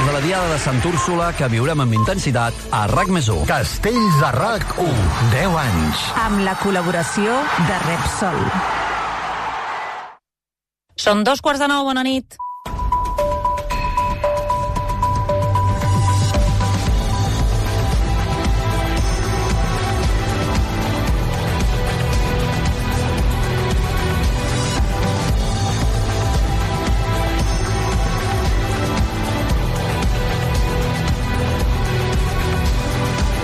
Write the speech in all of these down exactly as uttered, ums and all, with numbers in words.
de la Diada de Sant Úrsula que viurem amb intensitat a RAC més u. Castells a RAC u. deu anys. Amb la col·laboració de Repsol. Són dos quarts de nou, bona nit.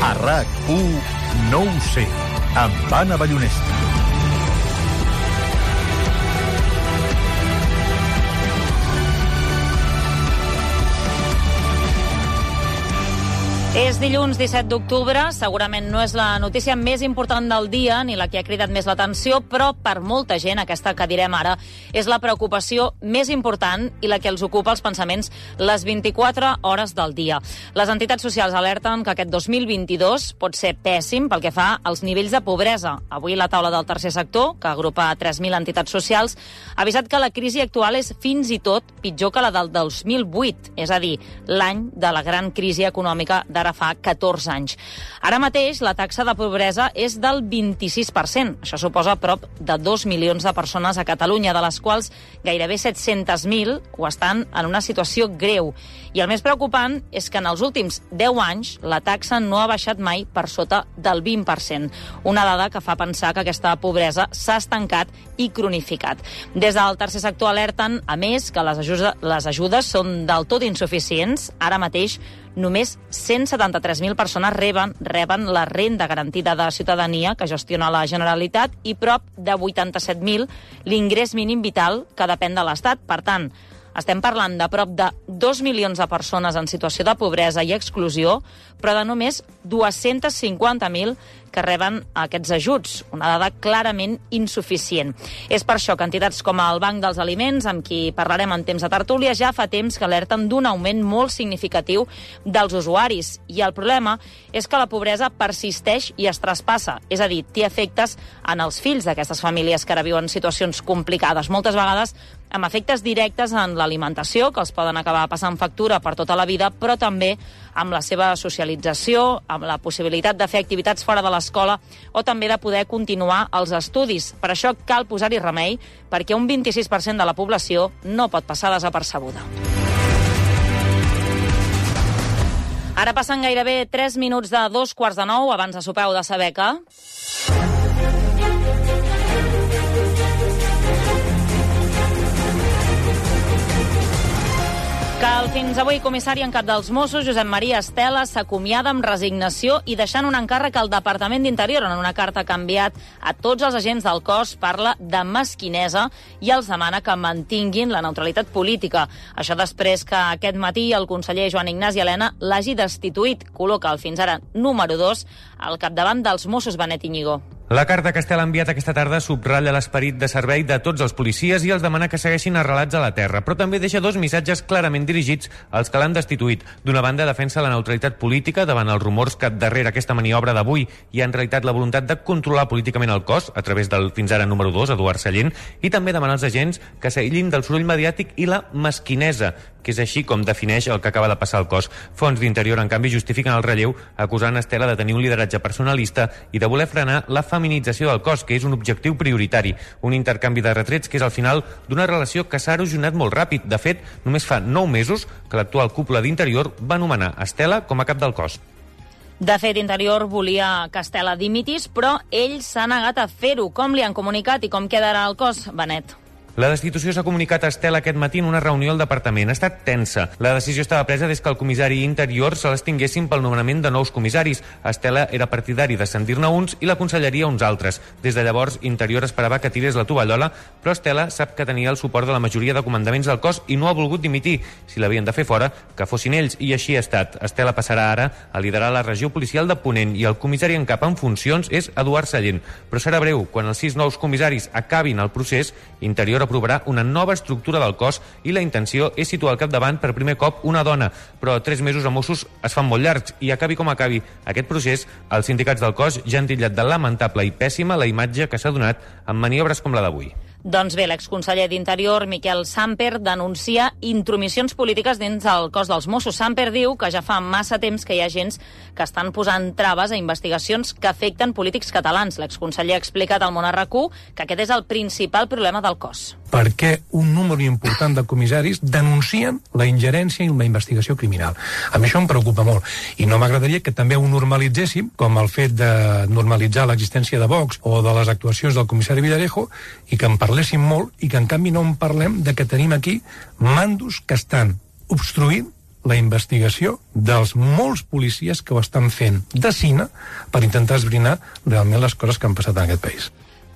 A RAC u, no ho sé, amb Anna Ballonesta. És dilluns disset d'octubre, segurament no és la notícia més important del dia ni la que ha cridat més l'atenció, però per molta gent, aquesta que direm ara, és la preocupació més important i la que els ocupa els pensaments les vint-i-quatre hores del dia. Les entitats socials alerten que aquest dos mil vint-i-dos pot ser pèssim pel que fa als nivells de pobresa. Avui la taula del tercer sector, que agrupa tres mil entitats socials, ha avisat que la crisi actual és fins i tot pitjor que la del dos mil vuit, és a dir, l'any de la gran crisi econòmica de ara fa catorze anys. Ara mateix la taxa de pobresa és del vint-i-sis per cent. Això suposa prop de dos milions de persones a Catalunya, de les quals gairebé set-cents mil ho estan en una situació greu. I el més preocupant és que en els últims deu anys la taxa no ha baixat mai per sota del vint per cent. Una dada que fa pensar que aquesta pobresa s'ha estancat i cronificat. Des del tercer sector alerten, a més, que les ajudes, les ajudes són del tot insuficients. Ara mateix només cent setanta-tres mil persones reben, reben la renda garantida de ciutadania que gestiona la Generalitat i prop de vuitanta-set mil l'ingrés mínim vital que depèn de l'Estat. Per tant, estem parlant de prop de dos milions de persones en situació de pobresa i exclusió, però de només dos-cents cinquanta mil que reben aquests ajuts, una dada clarament insuficient. És per això que entitats com el Banc dels Aliments, amb qui parlarem en temps de tertúlia, ja fa temps que alerten d'un augment molt significatiu dels usuaris. I el problema és que la pobresa persisteix i es traspassa, és a dir, té efectes en els fills d'aquestes famílies que ara viuen situacions complicades, moltes vegades amb efectes directes en l'alimentació, que els poden acabar passant factura per tota la vida, però també amb la seva socialització, amb la possibilitat de fer activitats fora de l'escola o també de poder continuar els estudis. Per això cal posar-hi remei, perquè un vint-i-sis per cent de la població no pot passar desapercebuda. Ara passen gairebé tres minuts de dos quarts de nou, abans de sopeu de saber que... que el fins avui comissari en cap dels Mossos, Josep Maria Estela, s'acomiada amb resignació i deixant un encàrrec al Departament d'Interior. En una carta que ha enviat a tots els agents del cos parla de mesquinesa i els demana que mantinguin la neutralitat política. Això després que aquest matí el conseller Joan Ignasi Elena l'hagi destituït. Col·loca el fins ara número dos al capdavant dels Mossos, Benet Íñigo. La carta que Estela ha enviat aquesta tarda subratlla l'esperit de servei de tots els policies i els demana que segueixin arrelats a la terra, però també deixa dos missatges clarament dirigits als que l'han destituït. D'una banda, defensa la neutralitat política davant els rumors que darrere aquesta maniobra d'avui hi ha en realitat la voluntat de controlar políticament el cos a través del fins ara número dos, Eduard Sallent, i també demana als agents que s'aïllin del soroll mediàtic i la mesquinesa, que és així com defineix el que acaba de passar al cos. Fons d'Interior, en canvi, justifiquen el relleu acusant Estela de tenir un lideratge personalista i de voler frenar la feminització del cos, que és un objectiu prioritari. Un intercanvi de retrets que és al final d'una relació que s'ha erosionat molt ràpid. De fet, només fa nou mesos que l'actual cúpula d'Interior va nomenar Estela com a cap del cos. De fet, Interior volia que Estela dimitís, però ell s'ha negat a fer-ho. Com li han comunicat i com quedarà el cos, Benet? La destitució s'ha comunicat a Estela aquest matí en una reunió al departament. Ha estat tensa. La decisió estava presa des que el comissari Interior se les tinguessin pel nomenament de nous comissaris. Estela era partidari d'ascendir-ne uns i la conselleria uns altres. Des de llavors, Interior esperava que tirés la tovallola, però Estela sap que tenia el suport de la majoria de comandaments del cos i no ha volgut dimitir. Si l'havien de fer fora, que fossin ells, i així ha estat. Estela passarà ara a liderar la regió policial de Ponent i el comissari en cap en funcions és Eduard Sallent. Però serà breu. Quan els sis nous comissaris acabin el procés, Interior aprovarà una nova estructura del cos i la intenció és situar al capdavant per primer cop una dona, però tres mesos a Mossos es fan molt llargs i acabi com acabi aquest procés, els sindicats del cos ja han titllat de lamentable i pèssima la imatge que s'ha donat en maniobres com la d'avui. Doncs bé, l'exconseller d'Interior, Miquel Samper, denuncia intromissions polítiques dins el cos dels Mossos. Samper diu que ja fa massa temps que hi ha agents que estan posant traves a investigacions que afecten polítics catalans. L'exconseller ha explicat al Món R Q que aquest és el principal problema del cos. Per què un número important de comissaris denuncien la ingerència en la investigació criminal? A mi això em preocupa molt. I no m'agradaria que també ho normalitzéssim, com el fet de normalitzar l'existència de Vox o de les actuacions del comissari Villarejo, i que en parléssim molt i que en canvi no en parlem de que tenim aquí mandos que estan obstruint la investigació dels molts policies que ho estan fent de cine per intentar esbrinar realment les coses que han passat en aquest país.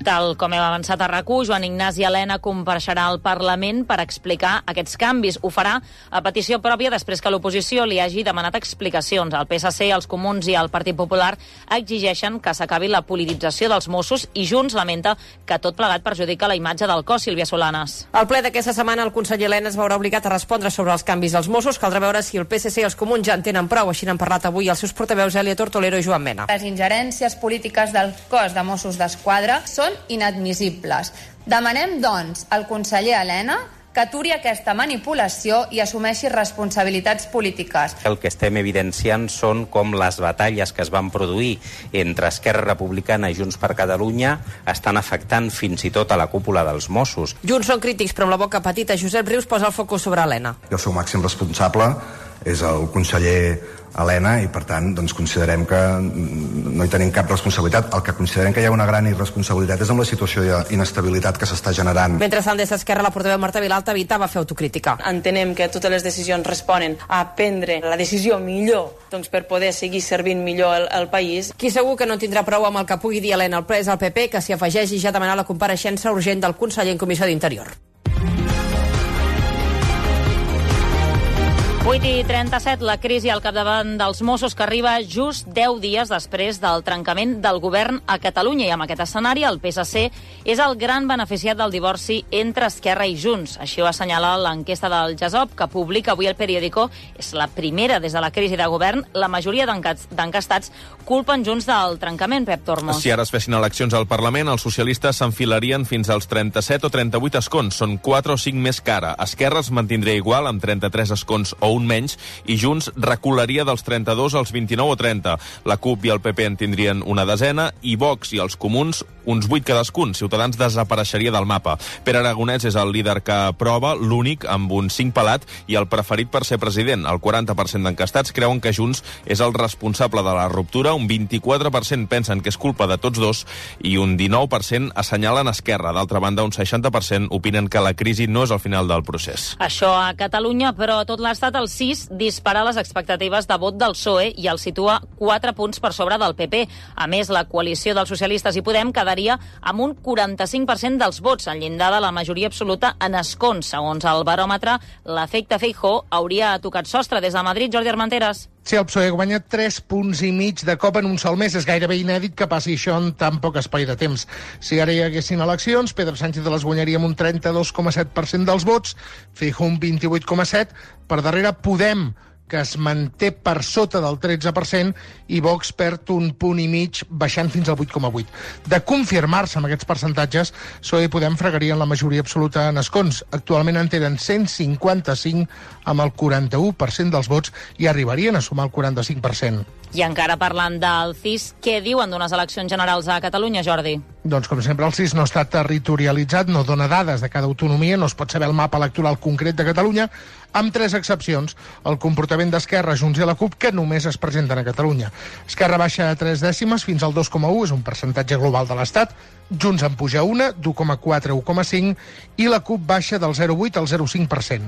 Tal com hem avançat a R A C U, Joan Ignasi Elena compareixerà al Parlament per explicar aquests canvis. Ho farà a petició pròpia després que l'oposició li hagi demanat explicacions. El P S C, els Comuns i el Partit Popular exigeixen que s'acabi la politització dels Mossos i Junts lamenta que tot plegat perjudica la imatge del cos. Sílvia Solanes. Al ple d'aquesta setmana el conseller Elena es veurà obligat a respondre sobre els canvis dels Mossos. Caldrà veure si el P S C i els Comuns ja en tenen prou. Així n'han parlat avui els seus portaveus Elia Tortolero i Joan Mena. Les ingerències polítiques del cos de Mossos d'Esquadra són inadmissibles. Demanem, doncs, al conseller Elena que aturi aquesta manipulació i assumeixi responsabilitats polítiques. El que estem evidenciant són com les batalles que es van produir entre Esquerra Republicana i Junts per Catalunya estan afectant fins i tot a la cúpula dels Mossos. Junts són crítics, però amb la boca petita Josep Rius posa el focus sobre Elena. El seu màxim responsable és el conseller Elena i, per tant, doncs, considerem que no hi tenim cap responsabilitat. El que considerem que hi ha una gran irresponsabilitat és amb la situació d'inestabilitat que s'està generant. Mentrestant, des d'Esquerra, la portaveu Marta Vilalta evitava fer autocrítica. Entenem que totes les decisions responen a prendre la decisió millor doncs, per poder seguir servint millor el, el país. Qui segur que no tindrà prou amb el que pugui dir Elena al ple és el P P, que s'hi afegeix i ja ha demanat la compareixença urgent del conseller en Comissió d'Interior. vuit i trenta-set, la crisi al capdavant dels Mossos que arriba just deu dies després del trencament del govern a Catalunya. I amb aquest escenari el P S C és el gran beneficiat del divorci entre Esquerra i Junts. Així ho assenyala l'enquesta del GESOP que publica avui el periòdico. És la primera des de la crisi de govern. La majoria d'encastats culpen Junts del trencament, Pep Tormos. Si ara es fessin eleccions al Parlament, els socialistes s'enfilarien fins als trenta-set o trenta-vuit escons. Són quatre o cinc més que ara. Esquerra es mantindria igual amb trenta-tres escons o un menys, i Junts recularia dels trenta-dos als vint-i-nou o trenta. La CUP i el P P en tindrien una desena i Vox i els Comuns uns vuit cadascun. Ciutadans desapareixeria del mapa. Pere Aragonès és el líder que aprova, l'únic amb un cinc pelat i el preferit per ser president. El quaranta per cent d'encastats creuen que Junts és el responsable de la ruptura, un vint-i-quatre per cent pensen que és culpa de tots dos i un dinou per cent assenyalen Esquerra. D'altra banda, un seixanta per cent opinen que la crisi no és el final del procés. Això a Catalunya, però a tot l'estat el sis dispara les expectatives de vot del P S O E i el situa quatre punts per sobre del P P. A més, la coalició dels socialistes i Podem quedaria amb un quaranta-cinc per cent dels vots, en llindar de la majoria absoluta en escons. Segons el baròmetre, l'efecte Feijóo hauria tocat sostre. Des de Madrid, Jordi Armenteres. Si el P S O E guanya tres punts i mig de cop en un sol mes, és gairebé inèdit que passi això en tan poc espai de temps. Si ara hi haguessin eleccions, Pedro Sánchez les guanyaria amb un trenta-dos coma set per cent dels vots, Feijóo un vint-i-vuit coma set per cent, per darrere Podem, que es manté per sota del tretze per cent, i Vox perd un punt i mig, baixant fins al vuit coma vuit. De confirmar-se amb aquests percentatges, P S O E i Podem fregarien la majoria absoluta en escons. Actualment en tenen cent cinquanta-cinc amb el quaranta-u per cent dels vots i arribarien a sumar el quaranta-cinc per cent. I encara parlant del C I S, què diuen d'unes eleccions generals a Catalunya, Jordi? Doncs, com sempre, el C I S no està territorialitzat, no dona dades de cada autonomia, no es pot saber el mapa electoral concret de Catalunya, amb tres excepcions. El comportament d'Esquerra, Junts i la CUP, que només es presenten a Catalunya. Esquerra baixa a tres dècimes fins al dos coma u, és un percentatge global de l'Estat. Junts en puja una, d'u coma quatre a u coma cinc, i la CUP baixa del zero coma vuit al zero coma cinc per cent.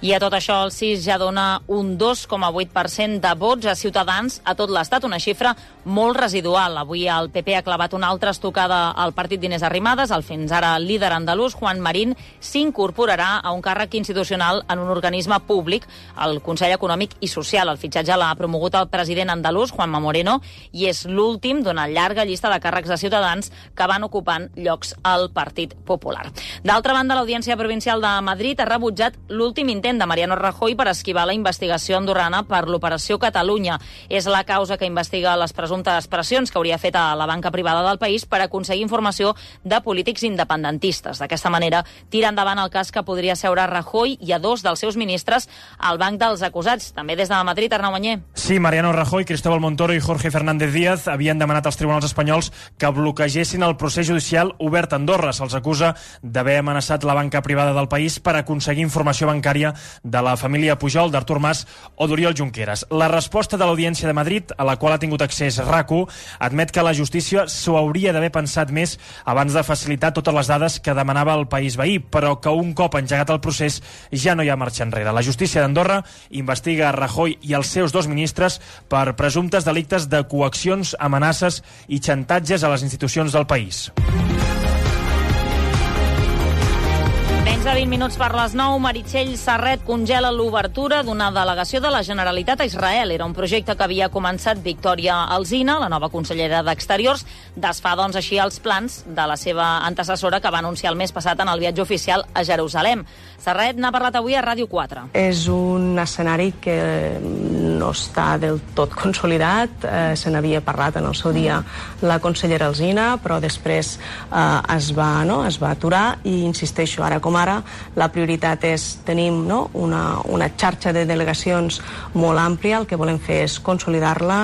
I a tot això el C I S ja dona un dos coma vuit per cent de vots a Ciutadans a tot l'Estat, una xifra molt residual. Avui el P P ha clavat una altra estocada al partit d'Inés Arrimadas. El fins ara líder andalús, Juan Marín, s'incorporarà a un càrrec institucional en un organisme públic, el Consell Econòmic i Social. El fitxatge l'ha promogut el president andalús, Juanma Moreno, i és l'últim d'una llarga llista de càrrecs de Ciutadans que van ocupant llocs al Partit Popular. D'altra banda, l'Audiència Provincial de Madrid ha rebutjat l'últim intent intent de Mariano Rajoy per esquivar la investigació andorrana per l'Operació Catalunya. És la causa que investiga les presumptes pressions que hauria fet a la banca privada del país per aconseguir informació de polítics independentistes. D'aquesta manera, tira endavant el cas que podria seure a Rajoy i a dos dels seus ministres al banc dels acusats. També des de Madrid, Arnau Mañé. Sí, Mariano Rajoy, Cristóbal Montoro i Jorge Fernández Díaz havien demanat als tribunals espanyols que bloquegessin el procés judicial obert a Andorra. Se'ls acusa d'haver amenaçat la banca privada del país per aconseguir informació bancària de la família Pujol, d'Artur Mas o d'Oriol Junqueras. La resposta de l'Audiència de Madrid, a la qual ha tingut accés RAC1, admet que la justícia s'ho hauria d'haver pensat més abans de facilitar totes les dades que demanava el país veí, però que un cop engegat el procés ja no hi ha marxa enrere. La justícia d'Andorra investiga a Rajoy i els seus dos ministres per presumptes delictes de coaccions, amenaces i xantatges a les institucions del país. Menys de vint minuts per les nou, Meritxell Serret congela l'obertura d'una delegació de la Generalitat a Israel. Era un projecte que havia començat Victòria Alsina, la nova consellera d'Exteriors. Desfà, doncs, així els plans de la seva antecessora que va anunciar el mes passat en el viatge oficial a Jerusalem. Serret n'ha parlat avui a Ràdio quatre. És un escenari que no està del tot consolidat. Eh, se n'havia parlat en el seu dia la consellera Alsina, però després eh, es, va, no, es va aturar i insisteixo, ara com ara, la prioritat és, tenim no, una, una xarxa de delegacions molt àmplia, el que volem fer és consolidar-la.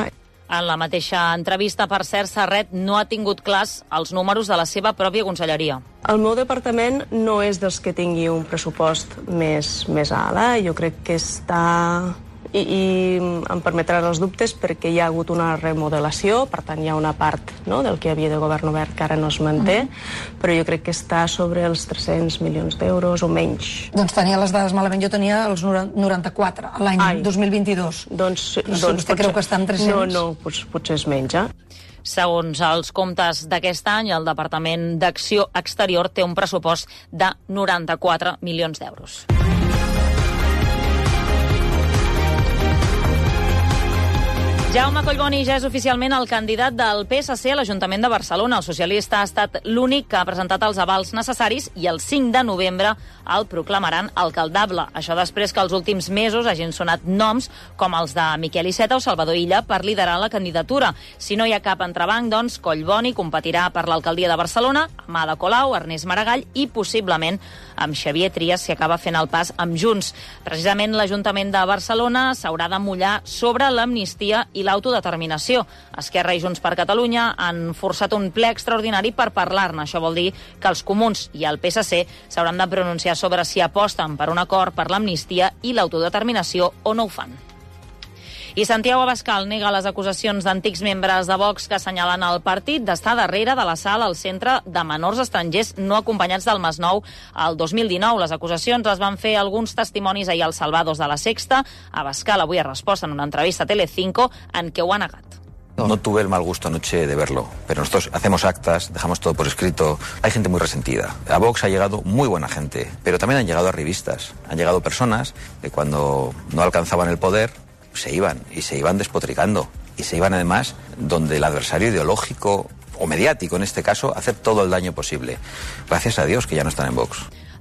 En la mateixa entrevista, per cert, Serret no ha tingut clars els números de la seva pròpia conselleria. El meu departament no és dels que tingui un pressupost més, més alt. Eh? Jo crec que està... I, i em permetràs els dubtes perquè hi ha hagut una remodelació, per tant hi ha una part no, del que havia de govern obert que ara no es manté, mm. però jo crec que està sobre els tres-cents milions d'euros o menys. Doncs tenia les dades malament, jo tenia els noranta-quatre l'any dos mil vint-i-dos. Doncs, doncs doncs vostè potser, creu que està en tres-cents? No, no, potser, potser és menys, eh? Segons els comptes d'aquest any, el Departament d'Acció Exterior té un pressupost de noranta-quatre milions d'euros. Jaume Collboni ja és oficialment el candidat del P S C a l'Ajuntament de Barcelona. El socialista ha estat l'únic que ha presentat els avals necessaris i el cinc de novembre el proclamaran alcaldable. Això després que els últims mesos hagin sonat noms com els de Miquel Iceta o Salvador Illa per liderar la candidatura. Si no hi ha cap entrebanc, doncs Collboni competirà per l'alcaldia de Barcelona amb Ada Colau, Ernest Maragall i possiblement amb Xavier Trias si acaba fent el pas amb Junts. Precisament l'Ajuntament de Barcelona s'haurà de mullar sobre l'amnistia i l'autodeterminació. Esquerra i Junts per Catalunya han forçat un ple extraordinari per parlar-ne. Això vol dir que els comuns i el P S C s'hauran de pronunciar sobre si aposten per un acord per l'amnistia i l'autodeterminació o no ho fan. I Santiago Abascal nega les acusacions d'antics membres de Vox que assenyalen el partit d'estar darrere de l'assalt al centre de menors estrangers no acompanyats del Masnou el dos mil dinou. Les acusacions les van fer alguns testimonis ahir als Salvados de la Sexta. Abascal avui ha respost en una entrevista a Telecinco en què ho ha negat. No tuve el mal gusto anoche de verlo, pero nosotros hacemos actas, dejamos todo por escrito. Hay gente muy resentida. A Vox ha llegado muy buena gente, pero también han llegado arribistas. Han llegado personas que cuando no alcanzaban el poder se iban, y se iban despotricando, y se iban además donde el adversario ideológico o mediático, en este caso, hacer todo el daño posible. Gracias a Dios que ya no están en Vox.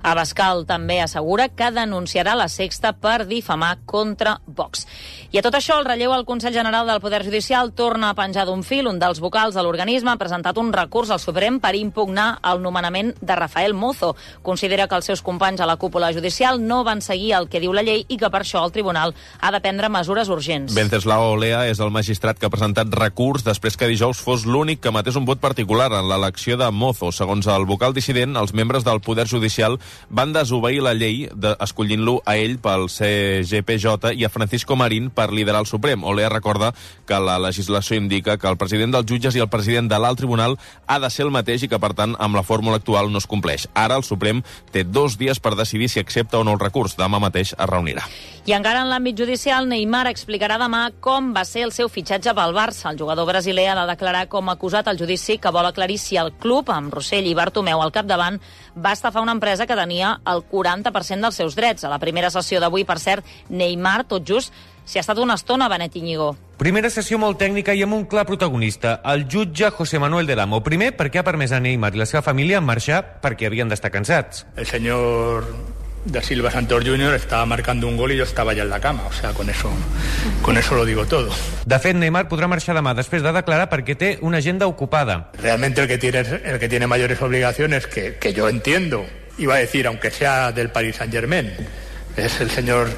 Abascal també assegura que denunciarà la Sexta per difamar contra Vox. I a tot això, el relleu al Consell General del Poder Judicial torna a penjar d'un fil. Un dels vocals de l'organisme ha presentat un recurs al Suprem per impugnar el nomenament de Rafael Mozo. Considera que els seus companys a la cúpula judicial no van seguir el que diu la llei i que per això el tribunal ha de prendre mesures urgents. Venceslao Olea és el magistrat que ha presentat recurs després que dijous fos l'únic que matés un vot particular en l'elecció de Mozo. Segons el vocal dissident, els membres del Poder Judicial van desobeir la llei de, escollint-lo a ell pel C G P J i a Francisco Marín per liderar el Suprem. Olea recorda que la legislació indica que el president dels jutges i el president de l'alt tribunal ha de ser el mateix i que, per tant, amb la fórmula actual no es compleix. Ara el Suprem té dos dies per decidir si accepta o no el recurs. Demà mateix es reunirà. I encara en l'àmbit judicial, Neymar explicarà demà com va ser el seu fitxatge pel Barça. El jugador brasiler ha de declarar com acusat al judici que vol aclarir si el club, amb Rossell i Bartomeu al capdavant, va estafar una empresa que tenia el quaranta per cent dels seus drets. A la primera sessió d'avui, per cert, Neymar, tot just, s'hi ha estat una estona, Benet Íñigo. Primera sessió molt tècnica i amb un clar protagonista, el jutge José Manuel del Amo. Primer, perquè ha permès a Neymar i la seva família marxar perquè havien d'estar cansats. El senyor Da Silva Santos júnior estaba marcando un gol y yo estaba ya en la cama. O sea, con eso, con eso lo digo todo. De fet, Neymar podrà marxar demà després de declarar perquè té una agenda ocupada. Realmente el que tiene, el que tiene mayores obligaciones, que, que yo entiendo, iba a decir, aunque sea del Paris Saint-Germain, es el señor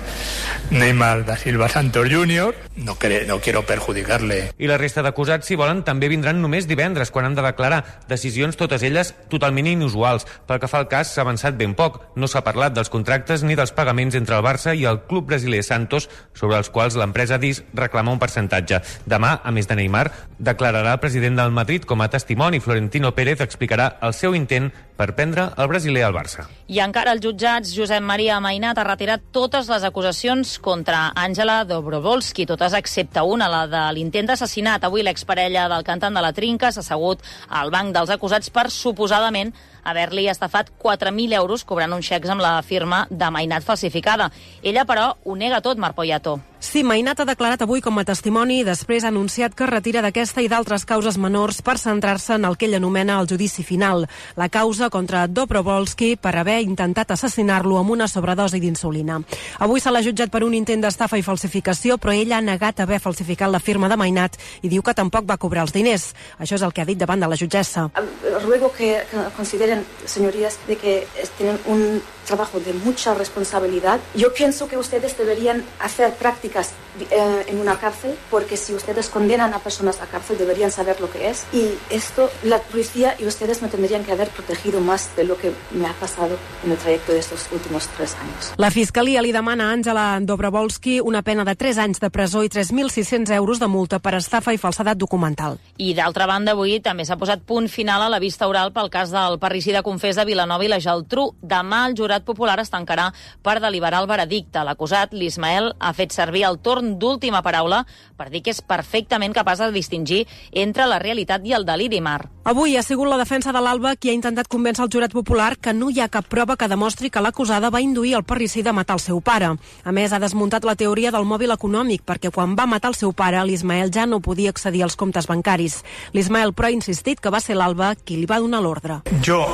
Neymar da Silva Santos júnior No, cre no quiero perjudicarle. I la resta d'acusats, si volen, també vindran només divendres, quan han de declarar. Decisions, totes elles, totalment inusuals. Pel que fa al cas, s'ha avançat ben poc. No s'ha parlat dels contractes ni dels pagaments entre el Barça i el club brasiler Santos, sobre els quals l'empresa ha dit reclama un percentatge. Demà, a més de Neymar, declararà el president del Madrid com a testimoni. Florentino Pérez explicarà el seu intent per prendre el brasiler al Barça. I encara els jutjats, Josep Maria Mainat ha retirat totes les acusacions contra Àngela Dobrovolsky, totes excepte una, la de l'intent d'assassinat. Avui l'exparella del cantant de la Trinca s'ha assegut al banc dels acusats per suposadament haver-li estafat quatre mil euros cobrant uns xecs amb la firma de Mainat falsificada. Ella, però, ho nega tot, Mar Poyato. Sí, Mainat ha declarat avui com a testimoni i després ha anunciat que es retira d'aquesta i d'altres causes menors per centrar-se en el que ell anomena el judici final, la causa contra Dobrovolsky per haver intentat assassinar-lo amb una sobredosi d'insulina. Avui se l'ha jutjat per un intent d'estafa i falsificació, però ell ha negat haver falsificat la firma de Mainat i diu que tampoc va cobrar els diners. Això és el que ha dit davant de la jutgessa. Ruego que consideren, señorías, de que tienen un trabajo de mucha responsabilidad. Yo pienso que ustedes deberían hacer prácticas eh, en una cárcel, porque si ustedes condenan a personas a cárcel deberían saber lo que es, y esto la policía y ustedes me tendrían que haber protegido más de lo que me ha pasado en el trayecto de estos últimos tres años. La Fiscalia li demana a Àngela Dobrovolsky una pena de tres anys de presó i tres mil sis-cents euros de multa per estafa i falsedat documental. I d'altra banda, avui també s'ha posat punt final a la vista oral pel cas del parricida confés de Vilanova i la Geltrú. Demà el jurat popular es tancarà per deliberar el veredicte. L'acusat, l'Ismael, ha fet servir el torn d'última paraula per dir que és perfectament capaç de distingir entre la realitat i el deliri, Mar. Avui ha sigut la defensa de l'Alba qui ha intentat convèncer el jurat popular que no hi ha cap prova que demostri que l'acusada va induir el parricida a matar el seu pare. A més, ha desmuntat la teoria del mòbil econòmic, perquè quan va matar el seu pare, l'Ismael ja no podia accedir als comptes bancaris. L'Ismael, però, ha insistit que va ser l'Alba qui li va donar l'ordre. Jo,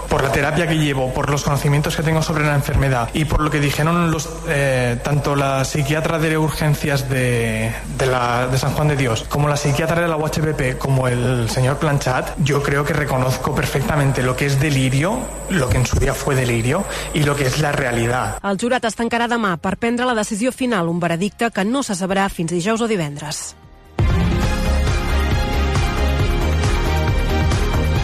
por la terapia que llevo, por los conocimientos que tengo sobre la enfermedad y por lo que dijeron los, eh, tanto la psiquiatra de urgencias de, de, la, de San Juan de Dios como la psiquiatra de la U H P P como el señor Planchat, yo creo que reconozco perfectamente lo que es delirio, lo que en su día fue delirio y lo que es la realidad. El jurat es tancarà demà per prendre la decisió final, un veredicte que no se sabrà fins dijous o divendres.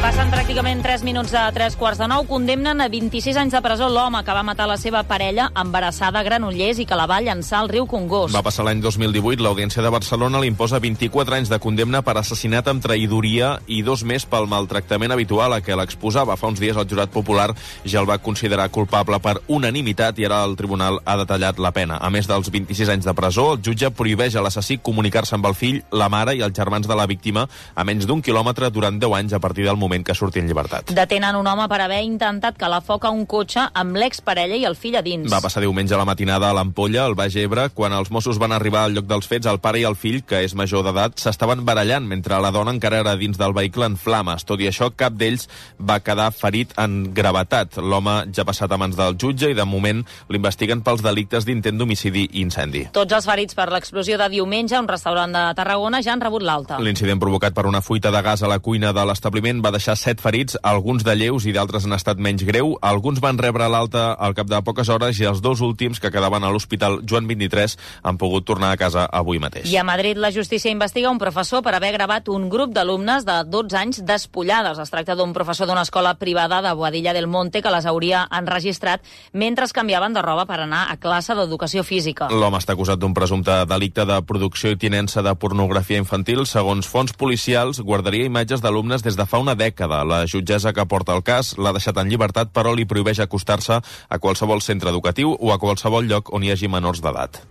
Passen pràcticament tres minuts de tres quarts de nou. Condemnen a vint-i-sis anys de presó l'home que va matar la seva parella embarassada a Granollers i que la va llançar al riu Congost. Va passar l'any dos mil divuit. L'Audiència de Barcelona li imposa vint-i-quatre anys de condemna per assassinat amb traïdoria i dos més pel maltractament habitual a què l'exposava. Fa uns dies el jurat popular ja el va considerar culpable per unanimitat i ara el tribunal ha detallat la pena. A més dels vint-i-sis anys de presó, el jutge prohibeix a l'assassí comunicar-se amb el fill, la mare i els germans de la víctima a menys d'un quilòmetre durant deu anys a partir del moment que surti en llibertat. Detenen un home per haver intentat calar foc a un cotxe amb l'exparella i el fill a dins. Va passar diumenge a la matinada a l'Ampolla, al Baix Ebre. Quan els Mossos van arribar al lloc dels fets, el pare i el fill, que és major d'edat, s'estaven barallant mentre la dona encara era dins del vehicle en flames. Tot i això, cap d'ells va quedar ferit en gravetat. L'home ja ha passat a mans del jutge i de moment l'investiguen pels delictes d'intent d'homicidi i incendi. Tots els ferits per l'explosió de diumenge a un restaurant de Tarragona ja han rebut l'alta. L'incident provocat per una fuita de gas a la cuina de l'establiment va deixar set ferits, alguns de lleus i d'altres han estat menys greu. Alguns van rebre l'alta al cap de poques hores i els dos últims, que quedaven a l'Hospital Joan vint-i-tres, han pogut tornar a casa avui mateix. I a Madrid la justícia investiga un professor per haver gravat un grup d'alumnes de dotze anys despullades. Es tracta d'un professor d'una escola privada de Boadilla del Monte que les hauria enregistrat mentre es canviaven de roba per anar a classe d'educació física. L'home està acusat d'un presumpte delicte de producció i tinença de pornografia infantil. Segons fonts policials, guardaria imatges d'alumnes des de fa una dècada. La jutgessa que porta el cas l'ha deixat en llibertat, però li prohibeix acostar-se a qualsevol centre educatiu o a qualsevol lloc on hi hagi menors d'edat.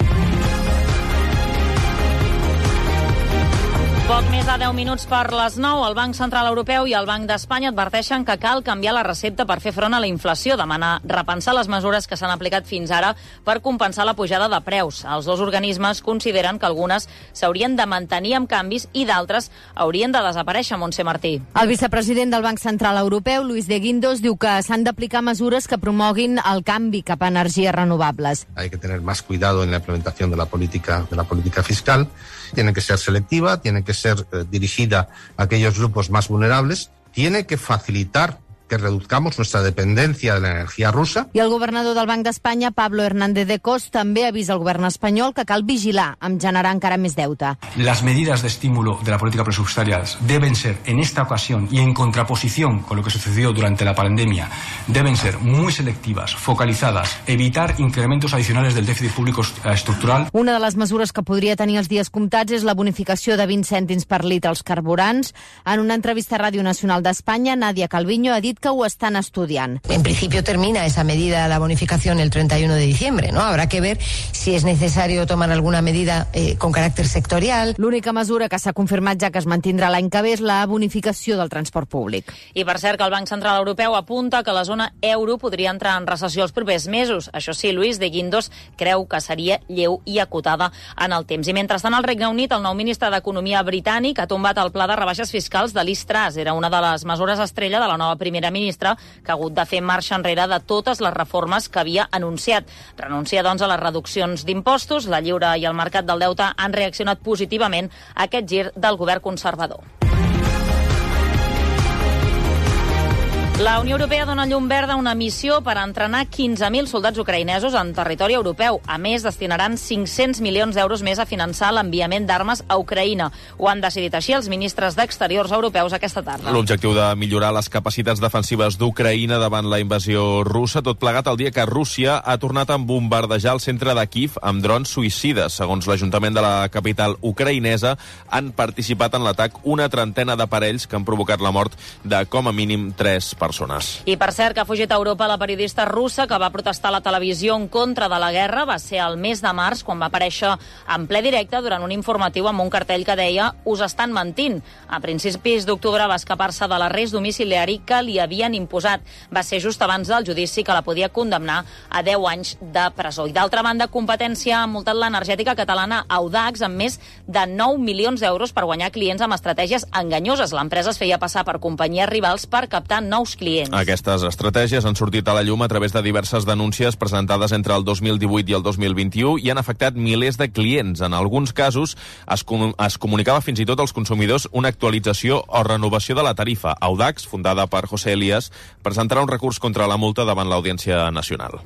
Poc més de deu minuts per les nou. El Banc Central Europeu i el Banc d'Espanya adverteixen que cal canviar la recepta per fer front a la inflació, demanar repensar les mesures que s'han aplicat fins ara per compensar la pujada de preus. Els dos organismes consideren que algunes s'haurien de mantenir amb canvis i d'altres haurien de desaparèixer. Montse Martí. El vicepresident del Banc Central Europeu, Luis de Guindos, diu que s'han d'aplicar mesures que promoguin el canvi cap a energies renovables. Hay que tener más cuidado en la implementación de la política, de la política fiscal. Tiene que ser selectiva, tiene que ser eh, dirigida a aquellos grupos más vulnerables, tiene que facilitar que reduzcamos nuestra dependencia de la energía rusa. I el governador del Banc d'Espanya, Pablo Hernández de Cos, també avisa al govern espanyol que cal vigilar amb generar encara més deute. Las medidas de estímulo de la política presupuestaria deben ser, en esta ocasión y en contraposición con lo que sucedió durante la pandemia, deben ser muy selectivas, focalizadas, evitar incrementos adicionales del déficit público estructural. Una de les mesures que podria tenir els dies comptats és la bonificació de vint cèntims per litre als carburants. En una entrevista a Ràdio Nacional d'Espanya, Nadia Calviño ha dit que ho estan estudiant. En principio termina esa medida, la bonificación, el treinta y uno de diciembre, ¿no? Habrá que ver si es necesario tomar alguna medida eh, con caràcter sectorial. L'única mesura que s'ha confirmat ja que es mantindrà l'any que ve és la bonificació del transport públic. I per cert que el Banc Central Europeu apunta que la zona euro podria entrar en recessió els propers mesos. Això sí, Luis de Guindos creu que seria lleu i acotada en el temps. I mentrestant al Regne Unit, el nou ministre d'Economia britànic ha tombat el pla de rebaixes fiscals de Liz Truss. Era una de les mesures estrella de la nova primera ministra, que ha hagut de fer marxa enrere de totes les reformes que havia anunciat. Renuncia, doncs, a les reduccions d'impostos. La Lliure i el mercat del deute han reaccionat positivament a aquest gir del govern conservador. La Unió Europea dona llum verda a una missió per entrenar quinze mil soldats ucraïnesos en territori europeu. A més, destinaran cinc-cents milions d'euros més a finançar l'enviament d'armes a Ucraïna. Ho han decidit així els ministres d'Exteriors europeus aquesta tarda. L'objectiu de millorar les capacitats defensives d'Ucraïna davant la invasió russa, tot plegat el dia que Rússia ha tornat a bombardejar el centre de Kíev amb drons suïcides. Segons l'Ajuntament de la capital ucraïnesa, han participat en l'atac una trentena d'aparells que han provocat la mort de com a mínim tres persones. I per cert que ha fugit a Europa la periodista russa que va protestar a la televisió en contra de la guerra. Va ser el mes de març quan va aparèixer en ple directe durant un informatiu amb un cartell que deia «Us estan mentint». A principis d'octubre va escapar-se de l'arrest domiciliari que li havien imposat. Va ser just abans del judici que la podia condemnar a deu anys de presó. I d'altra banda, competència ha multat l'energètica catalana Audax amb més de nou milions d'euros per guanyar clients amb estratègies enganyoses. L'empresa es feia passar per companyies rivals per captar nous clients. Aquestes estratègies han sortit a la llum a través de diverses denúncies presentades entre el dos mil divuit i el dos mil vint-i-u i han afectat milers de clients. En alguns casos es, com es comunicava fins i tot als consumidors una actualització o renovació de la tarifa. Audax, fundada per José Elías, presentarà un recurs contra la multa davant l'Audiència Nacional.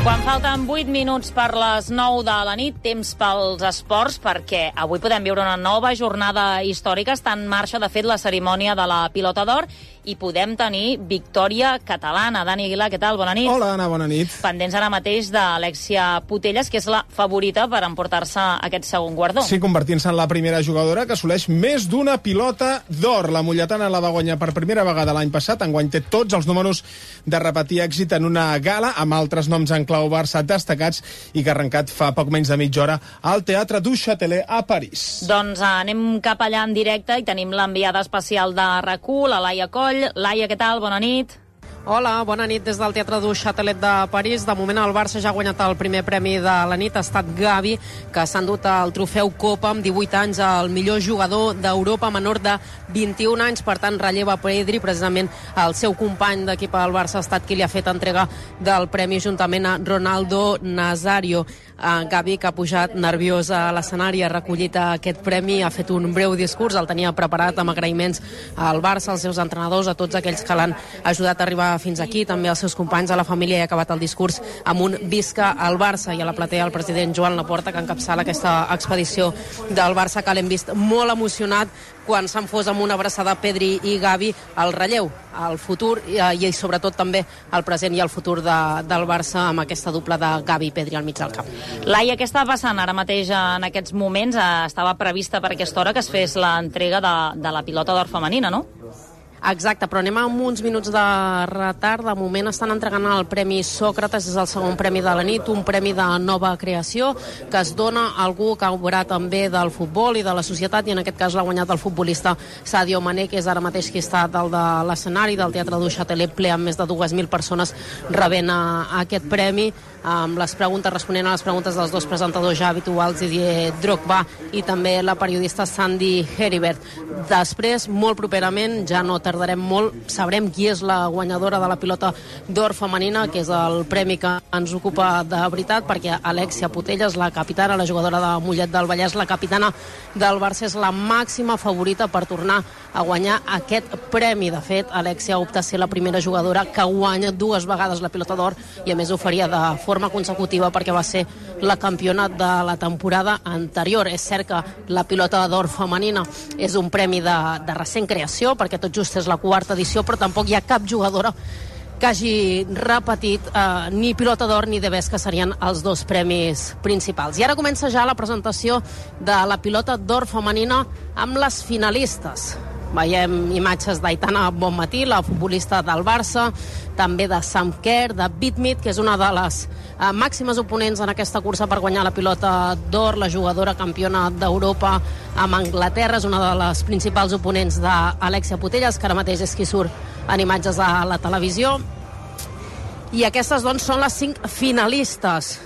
Quan falten vuit minuts per les nou de la nit, temps pels esports, perquè avui podem viure una nova jornada històrica. Està en marxa, de fet, la cerimònia de la Pilota d'Or i podem tenir victòria catalana. Dani Aguilar, què tal? Bona nit. Hola, Anna, bona nit. Pendents ara mateix d'Alexia Putellas, que és la favorita per emportar-se aquest segon guardó. Sí, convertint-se en la primera jugadora que assoleix més d'una pilota d'or. La mulletana la va guanyar per primera vegada l'any passat. Enguany té tots els números de repetir èxit en una gala, amb altres noms en clau Barça destacats i que ha arrencat fa poc menys de mitja hora al Teatre du Châtelet a París. Doncs anem cap allà en directe i tenim l'enviada especial de R A C U, la Laia Coll. Laia, què tal? Bona nit. Hola, bona nit des del Teatre du Châtelet de París. De moment el Barça ja ha guanyat el primer premi de la nit. Ha estat Gavi, que s'ha endut el trofeu Copa amb divuit anys, el millor jugador d'Europa menor de vint-i-un anys. Per tant, relleva Pedri, precisament el seu company d'equip al Barça ha estat qui li ha fet entrega del premi juntament a Ronaldo Nazario. Uh, Gavi, que ha pujat nerviós a l'escenari, ha recollit aquest premi, ha fet un breu discurs, el tenia preparat amb agraïments al Barça, als seus entrenadors, a tots aquells que l'han ajudat a arribar fins aquí, també als seus companys, a la família, i ha acabat el discurs amb un visca al Barça. I a la platea el president Joan Laporta, que encapçala aquesta expedició del Barça, que l'hem vist molt emocionat quan s'han fos amb una abraçada Pedri i Gavi al relleu, al futur i, i sobretot també al present i al futur de, del Barça amb aquesta dupla de Gavi i Pedri al mig del camp. Laia, què està passant ara mateix en aquests moments? Estava prevista per aquesta hora que es fes l'entrega de, de la pilota d'or femenina, no? Exacte, però anem amb uns minuts de retard. De moment estan entregant el Premi Sòcrates, és el segon premi de la nit, un premi de nova creació que es dona a algú que ha obrat també del futbol i de la societat, i en aquest cas l'ha guanyat el futbolista Sadio Mané, que és ara mateix qui està dalt de l'escenari del Teatre du Châtelet, ple amb més de dues mil persones rebent a, a aquest premi, amb les preguntes, responent a les preguntes dels dos presentadors ja habituals, Didier Drogba i també la periodista Sandy Heribert. Després, molt properament, ja no tardarem molt, sabrem qui és la guanyadora de la pilota d'or femenina, que és el premi que ens ocupa de veritat, perquè Alexia Putellas, la capitana, la jugadora de Mollet del Vallès, la capitana del Barça, és la màxima favorita per tornar a guanyar aquest premi. De fet, Alexia opta a ser la primera jugadora que guanya dues vegades la pilota d'or, i a més ho faria de forma consecutiva perquè va ser la campiona de la temporada anterior. És cert que la pilota d'or femenina és un premi de, de recent creació, perquè tot just és la quarta edició, però tampoc hi ha cap jugadora que hagi repetit eh, ni pilota d'or ni de bes, que serien els dos premis principals. I ara comença ja la presentació de la pilota d'or femenina amb les finalistes. Veiem imatges d'Aitana Bonmatí, la futbolista del Barça, també de Sam Kerr, de Bitmit, que és una de les eh, màximes oponents en aquesta cursa per guanyar la pilota d'or, la jugadora campiona d'Europa amb Anglaterra, és una de les principals oponents d'Alexia Putellas, que ara mateix és qui surt en imatges a la televisió. I aquestes, doncs, són les cinc finalistes.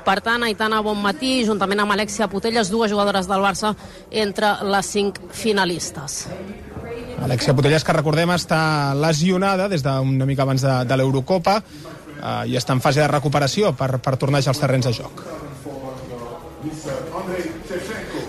Per tant, Aitana Bonmatí, juntament amb Alexia Putellas, dues jugadores del Barça entre les cinc finalistes. Alexia Putellas, que recordem, està lesionada des d'una mica abans de, de l'Eurocopa eh, i està en fase de recuperació per, per tornar als terrenys de joc.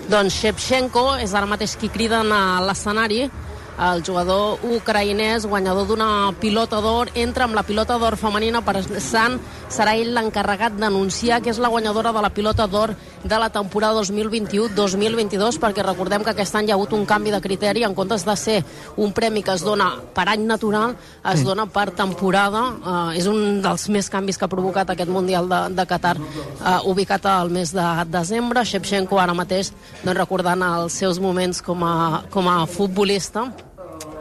Doncs Shevchenko és ara mateix qui criden a l'escenari. El jugador ucraïnès, guanyador d'una pilota d'or, entra amb la pilota d'or femenina, per tant serà ell l'encarregat d'anunciar que és la guanyadora de la pilota d'or de la temporada dos mil vint-i-u dos mil vint-i-dos, perquè recordem que aquest any hi ha hagut un canvi de criteri. En comptes de ser un premi que es dona per any natural, es dona per temporada. Uh, és un dels més canvis que ha provocat aquest Mundial de, de Qatar, uh, ubicat al mes de desembre. Shevchenko ara mateix, doncs, recordant els seus moments com a, com a futbolista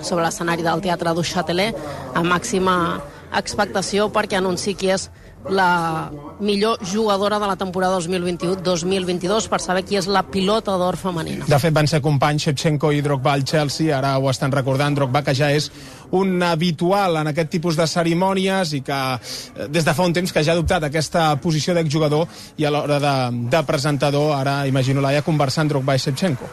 sobre l'escenari del Teatre du Châtelet, amb màxima expectació perquè anunciï qui és la millor jugadora de la temporada dos mil vint-i-u dos mil vint-i-dos, per saber qui és la pilota d'or femenina. De fet, van ser companys Shevchenko i Drogba al Chelsea, ara ho estan recordant. Drogba, que ja és un habitual en aquest tipus de cerimònies i que des de fa un temps que ja ha adoptat aquesta posició d'exjugador, i a l'hora de, de presentador, ara imagino Laia conversant Drogba i Shevchenko.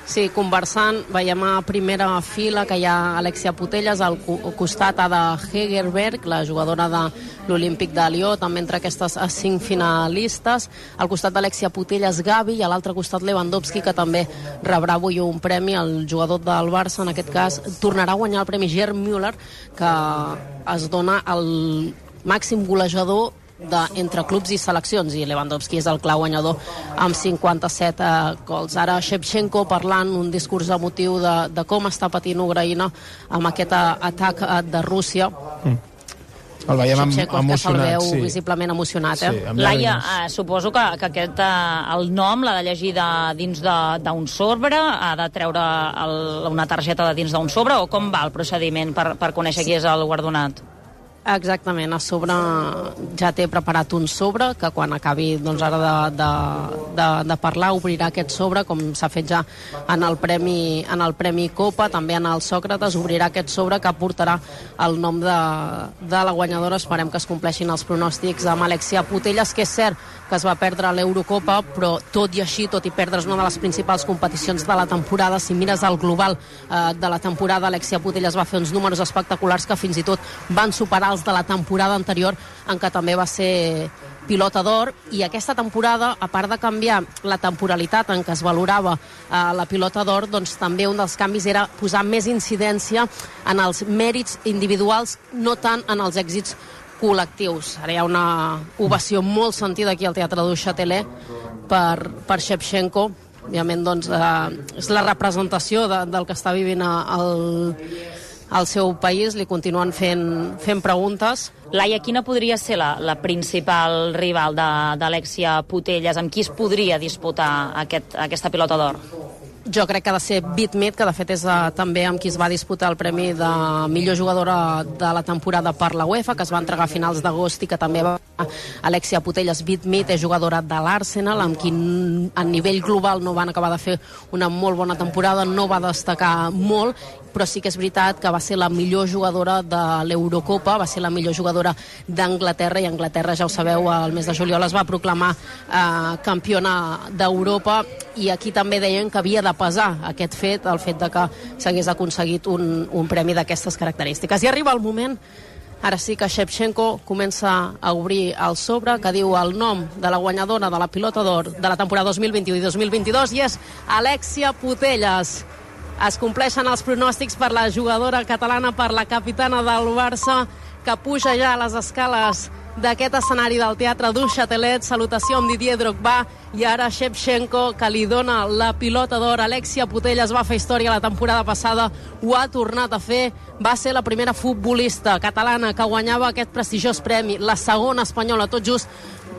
Sí, conversant, veiem a primera fila que hi ha Alexia Putellas, al costat Ada Hegerberg, la jugadora de l'Olímpic de Lió, també entre aquestes cinc finalistes. Al costat d'Alexia Putellas, Gavi, i a l'altre costat Lewandowski, que també rebrà avui un premi. El jugador del Barça, en aquest cas, tornarà a guanyar el premi Gerd Müller, que es dona al màxim golejador de, entre clubs i seleccions, i Lewandowski és el clar guanyador amb cinquanta-set eh, gols. Ara Shevchenko parlant un discurs emotiu de, de com està patint Ucraïna amb aquest atac de Rússia. Mm. El veiem Shevchenko, emocionat, que se'l veu sí. visiblement emocionat. Eh? Sí, Laia, eh, suposo que, que aquest, eh, el nom l'ha de llegir de, dins d'un sobre, ha de treure el, una targeta de dins d'un sobre, o com va el procediment per, per conèixer qui és el guardonat? Exactament, a sobre ja té preparat un sobre que quan acabi, doncs, ara de, de, de, de parlar obrirà aquest sobre, com s'ha fet ja en el Premi, en el Premi Copa, també en el Sòcrates obrirà aquest sobre que portarà el nom de, de la guanyadora. Esperem que es compleixin els pronòstics amb Alexia Putellas, que és cert que es va perdre l'Eurocopa, però tot i així, tot i perdre's una de les principals competicions de la temporada, si mires el global eh, de la temporada, Alexia Putellas va fer uns números espectaculars que fins i tot van superar els de la temporada anterior, en què també va ser pilota d'or. I aquesta temporada, a part de canviar la temporalitat en què es valorava eh, la pilota d'or, doncs també un dels canvis era posar més incidència en els mèrits individuals, no tant en els èxits col·lectius. Ara hi ha una ovació molt sentida aquí al Teatre du Châtelet per, per Shevchenko. Òbviament, doncs, eh, és la representació de, del que està vivint el, el seu país. Li continuen fent, fent preguntes. Laia, quina podria ser la, la principal rival d'Alexia Putellas? Amb qui es podria disputar aquest, aquesta pilota d'or? jo crec que ha de ser Beth Mead, que de fet és uh, també amb qui es va disputar el premi de millor jugadora de la temporada per la UEFA, que es va entregar a finals d'agost i que també va Alexia Putellas. Beth Mead és jugadora de l'Arsenal, amb qui a nivell global no van acabar de fer una molt bona temporada, no va destacar molt, però sí que és veritat que va ser la millor jugadora de l'Eurocopa, va ser la millor jugadora d'Anglaterra, i Anglaterra, ja ho sabeu, el mes de juliol es va proclamar eh, campiona d'Europa, i aquí també deien que havia de pesar aquest fet, el fet de que s'hagués aconseguit un, un premi d'aquestes característiques. I arriba el moment, ara sí que Shevchenko comença a obrir el sobre, que diu el nom de la guanyadora de la pilota d'or de la temporada dos mil vint-u i dos mil vint-i-dos, i és Alexia Putellas. Es compleixen els pronòstics per la jugadora catalana, per la capitana del Barça, que puja ja a les escales d'aquest escenari del Teatre du Châtelet. Salutació amb Didier Drogba, i ara Shevchenko, que li dona la pilota d'or. Alexia Putellas va fer història la temporada passada, ho ha tornat a fer, va ser la primera futbolista catalana que guanyava aquest prestigiós premi, la segona espanyola, tot just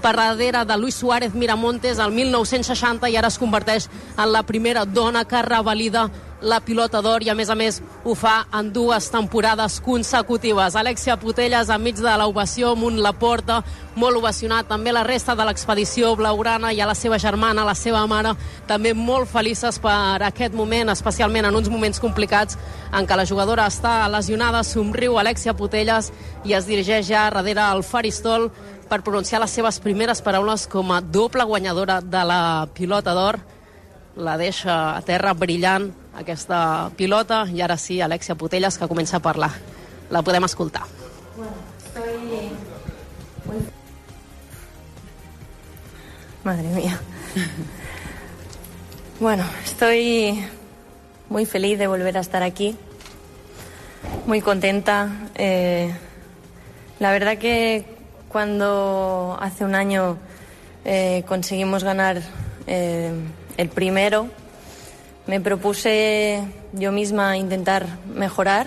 per darrere de Luis Suárez Miramontes el mil nou-cents seixanta, i ara es converteix en la primera dona que revalida la pilota d'or, i a més a més ho fa en dues temporades consecutives. Alexia Putellas enmig de l'ovació, amunt la porta, molt ovacionat, també la resta de l'expedició blaugrana, i a la seva germana, la seva mare, també molt felices per aquest moment, especialment en uns moments complicats en què la jugadora està lesionada. Somriu Alexia Putellas i es dirigeix ja darrere el faristol per pronunciar les seves primeres paraules com a doble guanyadora de la pilota d'or. La deixa a terra brillant aquesta pilota, i ara sí, Alexia Putellas, que comença a parlar. La podem escoltar. Bueno, estoy muy... Madre mía. Bueno, estoy muy feliz de volver a estar aquí, muy contenta. Eh, la verdad que cuando hace un año eh, conseguimos ganar eh, el primero, me propuse yo misma intentar mejorar,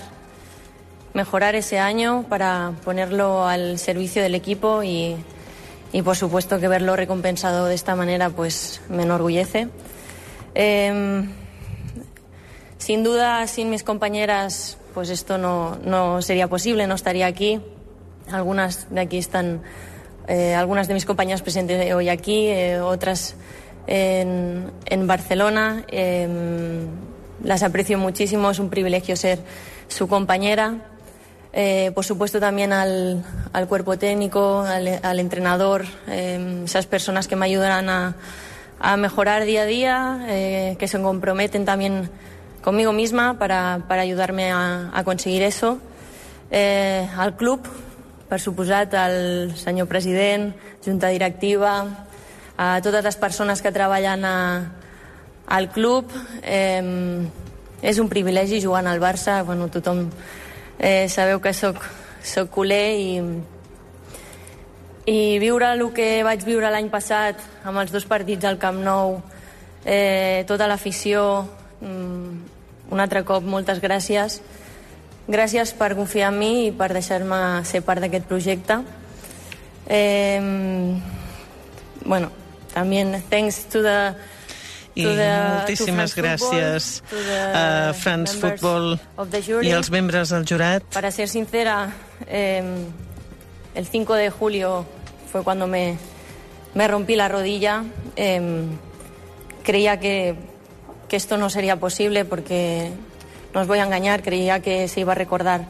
mejorar ese año para ponerlo al servicio del equipo, y, y por supuesto que verlo recompensado de esta manera pues me enorgullece. Eh, sin duda, sin mis compañeras, pues esto no, no sería posible, no estaría aquí. Algunas de aquí están, eh, algunas de mis compañeras presentes hoy aquí, eh, otras en, en Barcelona. Eh, las aprecio muchísimo, es un privilegio ser su compañera. Eh, por supuesto también al, al cuerpo técnico, al, al entrenador, eh, esas personas que me ayudarán a, a mejorar día a día, eh, que se comprometen también conmigo misma para, para ayudarme a, a conseguir eso. Eh, al club, per suposat, al senyor president, junta directiva, a totes les persones que treballen a, al club. Eh, és un privilegi jugant al Barça. Bueno, tothom eh, sabeu que soc, soc culer, i, i viure el que vaig viure l'any passat amb els dos partits al Camp Nou, eh, tota l'afició, un altre cop moltes gràcies. Gràcies per confiar en mi i per deixar-me ser part d'aquest projecte. Eh, bueno, también thanks to the I moltíssimes gràcies a France Football i als membres del jurat. Para ser sincera, eh, el cinco de julio fue cuando me, me rompí la rodilla. Eh, creía que, que esto no sería posible, porque no os voy a engañar, creía que se iba a recordar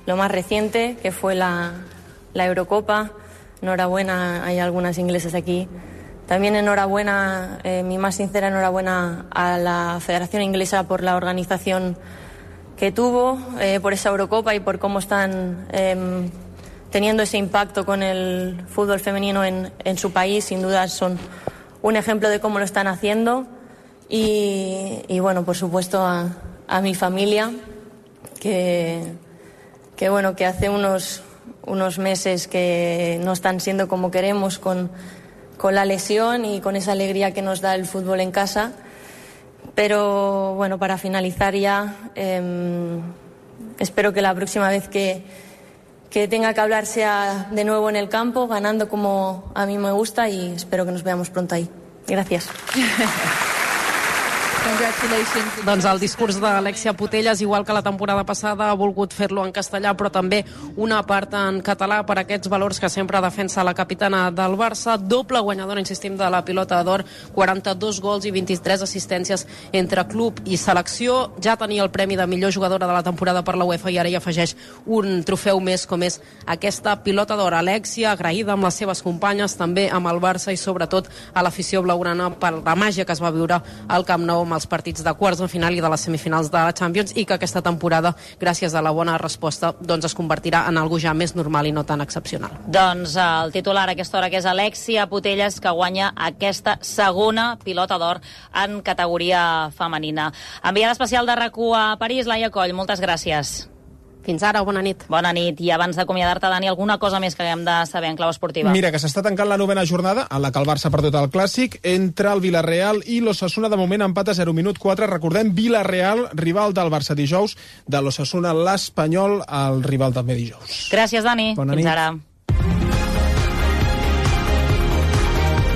lo más reciente, que fue la, la Eurocopa. Enhorabuena, hay algunas inglesas aquí. También enhorabuena, eh, mi más sincera enhorabuena a la Federación Inglesa por la organización que tuvo, eh, por esa Eurocopa y por cómo están eh, teniendo ese impacto con el fútbol femenino en, en su país. Sin duda son un ejemplo de cómo lo están haciendo. Y, y bueno, por supuesto a, a mi familia, que, que bueno, que hace unos, unos meses que no están siendo como queremos con con la lesión y con esa alegría que nos da el fútbol en casa. Pero bueno, para finalizar ya, eh, espero que la próxima vez que, que tenga que hablar sea de nuevo en el campo, ganando como a mí me gusta, y espero que nos veamos pronto ahí. Gracias. Doncs el discurs d'Alexia Putellas, igual que la temporada passada, ha volgut fer-lo en castellà, però també una part en català per aquests valors que sempre defensa la capitana del Barça. Doble guanyadora, insistim, de la pilota d'or, quaranta-dos gols i vint-i-tres assistències entre club i selecció. Ja tenia el premi de millor jugadora de la temporada per la UEFA i ara hi afegeix un trofeu més, com és aquesta pilota d'or. Alexia, agraïda amb les seves companyes, també amb el Barça i sobretot a l'afició blaugrana per la màgia que es va viure al Camp Nou amb els partits de quarts de final i de les semifinals de la Champions, i que aquesta temporada, gràcies a la bona resposta, doncs es convertirà en algo ja més normal i no tan excepcional. Doncs el titular a aquesta hora, que és Alexia Putellas, que guanya aquesta segona pilota d'or en categoria femenina. Enviada especial de RAC1 a París, Laia Coll, moltes gràcies. Fins ara, bona nit. Bona nit. I abans d'acomiadar-te, Dani, alguna cosa més que haguem de saber en clau esportiva? Mira, que s'està tancant la novena jornada, en la que el Barça ha perdut el Clàssic, entre el Villarreal i l'Osasuna. De moment, empat a zero, minut quatre. Recordem, Villarreal, rival del Barça dijous, de l'Osasuna, l'Espanyol, el rival també dijous. Gràcies, Dani. Bona Fins nit. ara.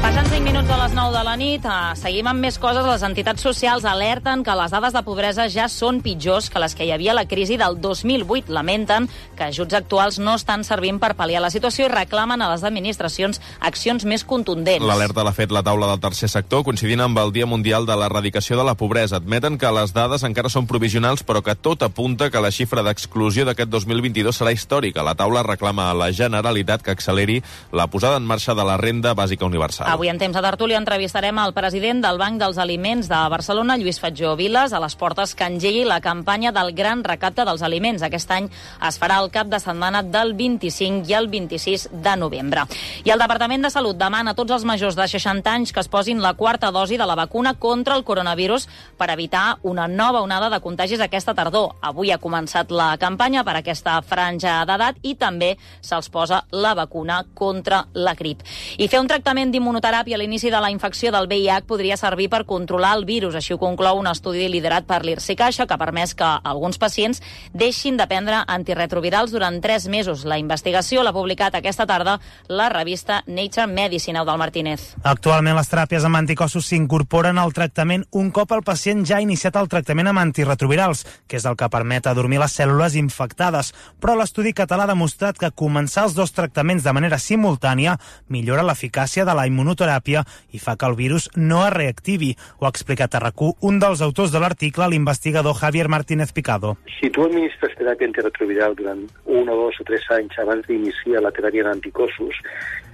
Passen cinc minuts a les nou de la nit, seguim amb més coses. Les entitats socials alerten que les dades de pobresa ja són pitjors que les que hi havia a la crisi del dos mil vuit. Lamenten que ajuts actuals no estan servint per pal·liar la situació i reclamen a les administracions accions més contundents. L'alerta l'ha fet la taula del tercer sector, coincidint amb el Dia Mundial de l'Erradicació de la Pobresa. Admeten que les dades encara són provisionals, però que tot apunta que la xifra d'exclusió d'aquest dos mil vint-i-dos serà històrica. La taula reclama a la Generalitat que acceleri la posada en marxa de la renda bàsica universal. Avui en temps de tertúlia entrevistarem el president del Banc dels Aliments de Barcelona, Lluís Fatjó Viles, a les portes que engegui la campanya del Gran Recapte dels Aliments. Aquest any es farà el cap de setmana del vint-i-cinc i el vint-i-sis de novembre. I el Departament de Salut demana a tots els majors de seixanta anys que es posin la quarta dosi de la vacuna contra el coronavirus per evitar una nova onada de contagis aquesta tardor. Avui ha començat la campanya per aquesta franja d'edat i també se'ls posa la vacuna contra la grip. I fer un tractament d'immunoteràpia a l'inici de la infecció del V I H podria servir per controlar el virus. Així ho conclou un estudi liderat per l'I R S I Caixa, que ha permès que alguns pacients deixin de prendre antirretrovirals durant tres mesos. La investigació l'ha publicat aquesta tarda la revista Nature Medicine. Eudald Martínez. Actualment les teràpies amb anticossos s'incorporen al tractament un cop el pacient ja ha iniciat el tractament amb antirretrovirals, que és el que permet adormir les cèl·lules infectades. Però l'estudi català ha demostrat que començar els dos tractaments de manera simultània millora l'eficàcia de la immunoteràpia i fa que el virus no es reactivi. Ho ha explicat a RAC1 un dels autors de l'article, l'investigador Javier Martínez Picado. Si tu administres teràpia antirretroviral durant un o dos o tres anys abans d'iniciar la teràpia d'anticossos,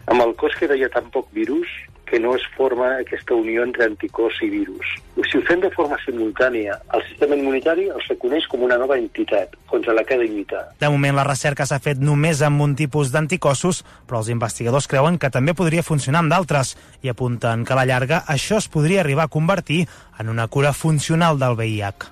amb el cos queda ja tan poc virus que no es forma aquesta unió entre anticòs i virus. Si ho fem de forma simultània, el sistema immunitari els reconeix com una nova entitat contra la que ha de lluitar. De moment la recerca s'ha fet només amb un tipus d'anticossos, però els investigadors creuen que també podria funcionar amb d'altres i apunten que a la llarga això es podria arribar a convertir en una cura funcional del V I H.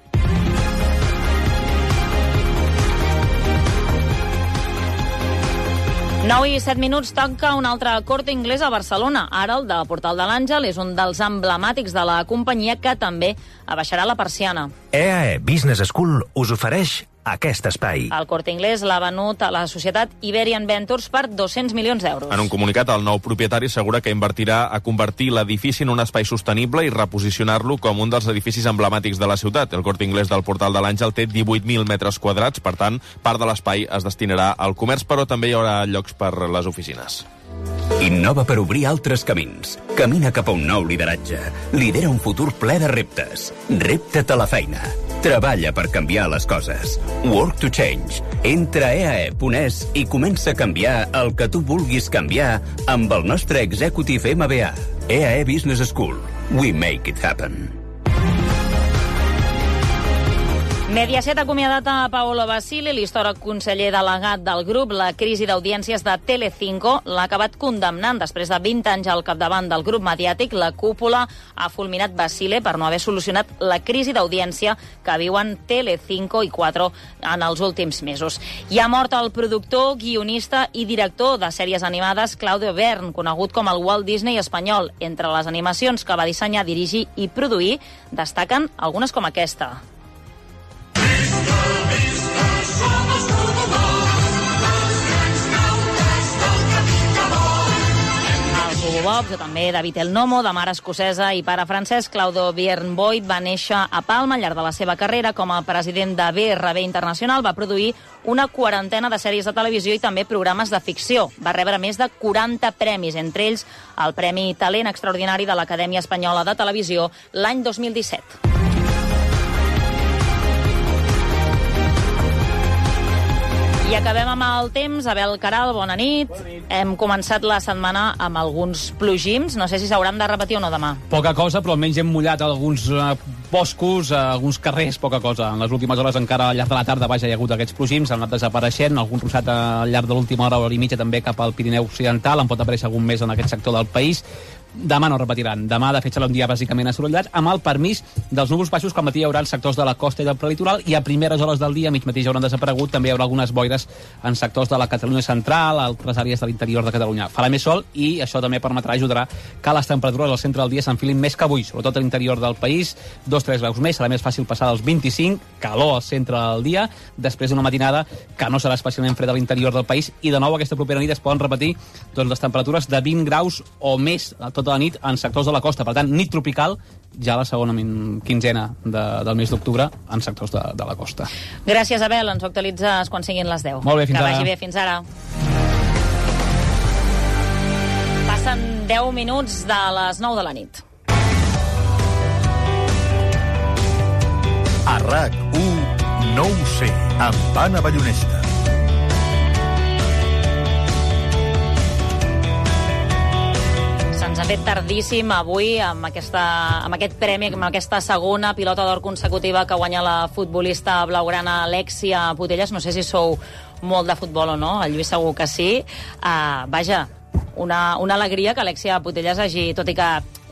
nou i set minuts, tanca un altre Corte Inglés a Barcelona. Ara el de Portal de l'Àngel és un dels emblemàtics de la companyia, que també abaixarà la persiana. E A E Business School us ofereix aquest espai. El Corte Inglés l'ha venut a la societat Iberian Ventures per dos-cents milions d'euros. En un comunicat, el nou propietari assegura que invertirà a convertir l'edifici en un espai sostenible i reposicionar-lo com un dels edificis emblemàtics de la ciutat. El Corte Inglés del Portal de l'Àngel té divuit mil metres quadrats, per tant, part de l'espai es destinarà al comerç, però també hi haurà llocs per les oficines. Innova per obrir altres camins. Camina cap a un nou lideratge. Lidera un futur ple de reptes. Repta't a la feina. Treballa per canviar les coses. Work to change. Entra a e a e punt es i comença a canviar el que tu vulguis canviar amb el nostre Executive M B A. E A E Business School. We make it happen. Mediaset ha acomiadat a Paolo Basile, l'històric conseller delegat del grup. La crisi d'audiències de Telecinco l'ha acabat condemnant. Després de vint anys al capdavant del grup mediàtic, la cúpula ha fulminat Basile per no haver solucionat la crisi d'audiència que viuen Telecinco i quatre en els últims mesos. I ha mort el productor, guionista i director de sèries animades Claudio Bern, conegut com el Walt Disney espanyol. Entre les animacions que va dissenyar, dirigir i produir, destaquen algunes com aquesta. Jacobs, o també David El Nomo, de mare escocesa i pare francès. Claudio Biernboyd va néixer a Palma. Al llarg de la seva carrera com a president de B R B Internacional va produir una quarantena de sèries de televisió i també programes de ficció. Va rebre més de quaranta premis, entre ells el Premi Talent Extraordinari de l'Acadèmia Espanyola de Televisió l'any dos mil disset. I acabem amb el temps. Abel Caral, bona nit. Bona nit. Hem començat la setmana amb alguns plogims. No sé si s'hauran de repetir o no demà. Poca cosa, però almenys hem mullat alguns uh, boscos, uh, alguns carrers, poca cosa. En les últimes hores encara al llarg de la tarda vaja, hi ha hagut aquests plogims, han anat desapareixent, algun ruixat al llarg de l'última hora, hora i mitja també cap al Pirineu Occidental, en pot aparèixer algun més en aquest sector del país. Demà no repetiran. Demà, de fet, serà un dia bàsicament assolellat, amb el permís dels núvols baixos que al matí hi haurà en sectors de la costa i del prelitoral, i a primeres hores del dia, mig matí ja hauran desaparegut, també hi haurà algunes boires en sectors de la Catalunya central, altres àrees de l'interior de Catalunya. Farà més sol i això també permetrà, ajudarà que les temperatures al centre del dia s'enfilin més que avui, sobretot a l'interior del país, dos a tres graus més, serà més fàcil passar dels vint-i-cinc, calor al centre del dia, després d'una matinada que no serà especialment freda a l'interior del país, i de nou aquesta propera nit es poden repetir doncs, les temperatures de vint graus o més tota la nit en sectors de la costa. Per tant, nit tropical ja la segona quinzena de, del mes d'octubre en sectors de, de la costa. Gràcies, Abel. Ens ho actualitzes quan siguin les deu. Molt bé, fins que ara. Que vagi bé. Fins ara. Passen deu minuts de les nou de la nit. A RAC u, no ho sé, amb Anna Ballonesta. Ens ha fet tardíssim avui amb, aquesta, amb aquest premi, amb aquesta segona pilota d'or consecutiva que guanya la futbolista blaugrana Alexia Putellas. No sé si sou molt de futbol o no, el Lluís segur que sí. Uh, vaja, una, una alegria que Alexia Putellas hagi, tot i que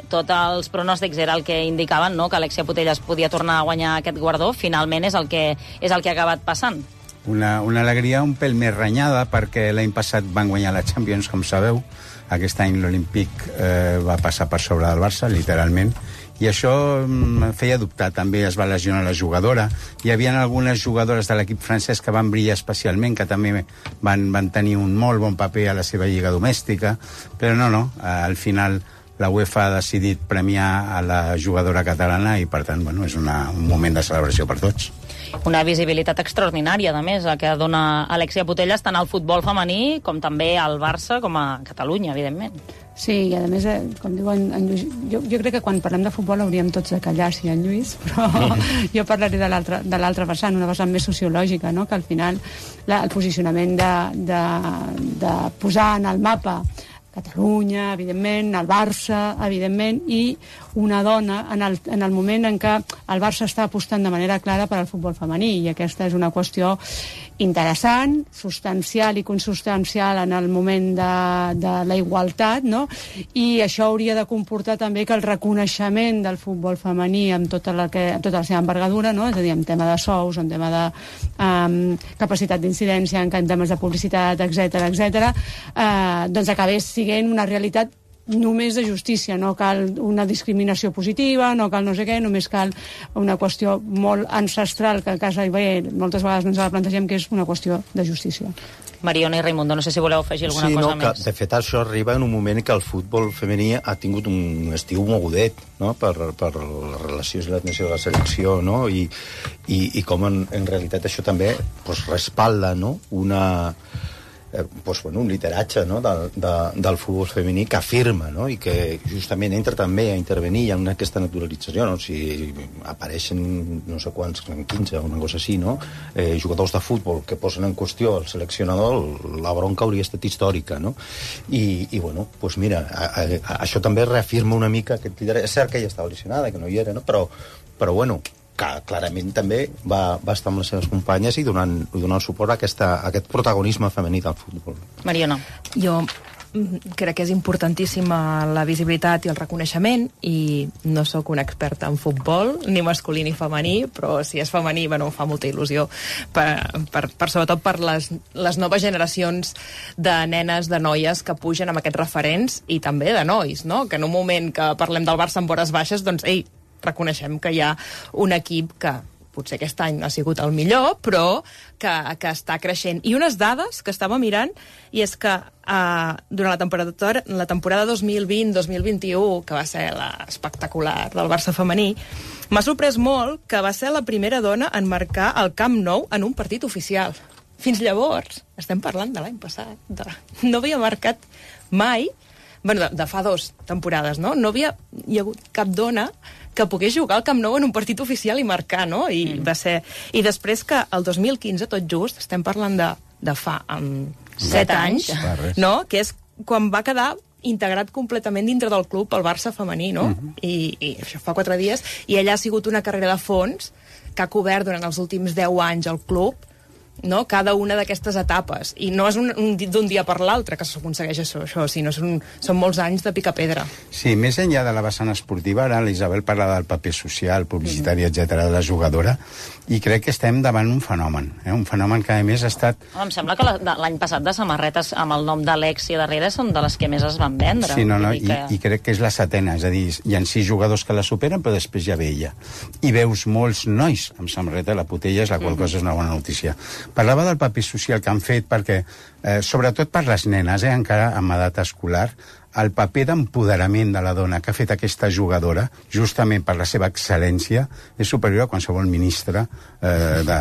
tots els pronòstics era el que indicaven, no? Que Alexia Putellas podia tornar a guanyar aquest guardó, finalment és el que, és el que ha acabat passant. Una, una alegria un pèl més renyada, perquè l'any passat van guanyar la Champions, com sabeu. Aquest any l'Olímpic eh, va passar per sobre del Barça, literalment, i això em feia dubtar. També es va lesionar la jugadora. Hi havia algunes jugadores de l'equip francès que van brillar especialment, que també van, van tenir un molt bon paper a la seva lliga domèstica, però no, no, al final la UEFA ha decidit premiar a la jugadora catalana i, per tant, bueno, és una, un moment de celebració per tots. Una visibilitat extraordinària, a més, la que dona Alexia Putellas tant al futbol femení com també al Barça, com a Catalunya, evidentment. Sí, i a més, eh, com diu en, en Lluís, jo, jo crec que quan parlem de futbol hauríem tots de callar, sí, en Lluís, però jo parlaré de l'altra de l'altra vessant, una vessant més sociològica, no? Que al final la, el posicionament de, de, de posar en el mapa Catalunya, evidentment, el Barça, evidentment, i una dona en el, en el moment en què el Barça està apostant de manera clara per al futbol femení, i aquesta és una qüestió interessant, substancial i consustancial en el moment de, de la igualtat, no? I això hauria de comportar també que el reconeixement del futbol femení amb tota la, que, amb tota la seva envergadura, no? És a dir, en tema de sous, en tema de um, capacitat d'incidència, en temes de publicitat, etcètera, etcètera, eh, doncs acabés sent una realitat només de justícia, no cal una discriminació positiva, no cal no sé què, només cal una qüestió molt ancestral que a casa i bé, moltes vegades no ens la plantegem, que és una qüestió de justícia. Mariona i Raimundo, no sé si voleu afegir alguna sí, cosa no, més. Que, de fet, això arriba en un moment que el futbol femení ha tingut un estiu mogudet, no? per, per les relacions i l'admissió de la selecció, no? I, i, i com en, en realitat això també pues, respalda, no? una... Eh, pues, bueno, un lideratge, no? de, de, del futbol femení que afirma, no? I que justament entra també a intervenir en aquesta naturalització, no? Si apareixen no sé quants, quinze o una cosa així, no? eh, jugadors de futbol que posen en qüestió el seleccionador, la bronca hauria estat històrica, no? I, i bueno, pues mira, a, a, a, això també reafirma una mica aquest lideratge. És cert que ella estava lesionada, que no hi era, no? Però, però bueno, que clarament també va, va estar amb les seves companyes i donant, donant suport a, aquesta, a aquest protagonisme femení del futbol. Mariona. Jo crec que és importantíssima la visibilitat i el reconeixement, i no sóc una experta en futbol, ni masculí ni femení, però si és femení, bueno, fa molta il·lusió, per, per, per, sobretot per les, les noves generacions de nenes, de noies que pugen amb aquests referents, i també de nois, no? Que en un moment que parlem del Barça amb hores baixes, doncs, ei, reconeixem que hi ha un equip que potser aquest any ha sigut el millor, però que, que està creixent. I unes dades que estava mirant, i és que uh, durant la temporada, la temporada dos mil vint dos mil vint-i-u, que va ser la espectacular del Barça femení, m'ha sorprès molt que va ser la primera dona en marcar el Camp Nou en un partit oficial. Fins llavors, estem parlant de l'any passat, de... no havia marcat mai, bueno, de, de fa dos temporades, no? No havia hi ha hagut cap dona que pogués jugar al Camp Nou en un partit oficial i marcar, no? I mm. va ser... I després que el dos mil quinze, tot just, estem parlant de, de fa um, set anys, anys no? Que és quan va quedar integrat completament dintre del club el Barça femení, no? Mm-hmm. I, I això fa quatre dies. I ella ha sigut una carrera de fons que ha cobert durant els últims deu anys el club, no? Cada una d'aquestes etapes, i no és un, un, d'un dia per l'altre que s'aconsegueix això, això sinó són, són molts anys de picar-pedra. Sí, més enllà de la vessant esportiva, ara l'Isabel parla del paper social, publicitari, mm-hmm. etcètera de la jugadora, i crec que estem davant un fenomen, eh? Un fenomen que a més ha estat... Home, em sembla que la, l'any passat de samarretes amb el nom d'Alexia darrere són de les que més es van vendre. Sí, no, no, i, que... i crec que és la setena, és a dir, hi ha sis jugadors que la superen, però després ja ve ella. I veus molts nois amb samarreta a la putella, la qual mm-hmm. cosa és una bona notícia. Parlava del paper social que han fet perquè, eh, sobretot per les nenes, eh, encara amb edat escolar, el paper d'empoderament de la dona que ha fet aquesta jugadora, justament per la seva excel·lència, és superior a qualsevol ministre eh, de,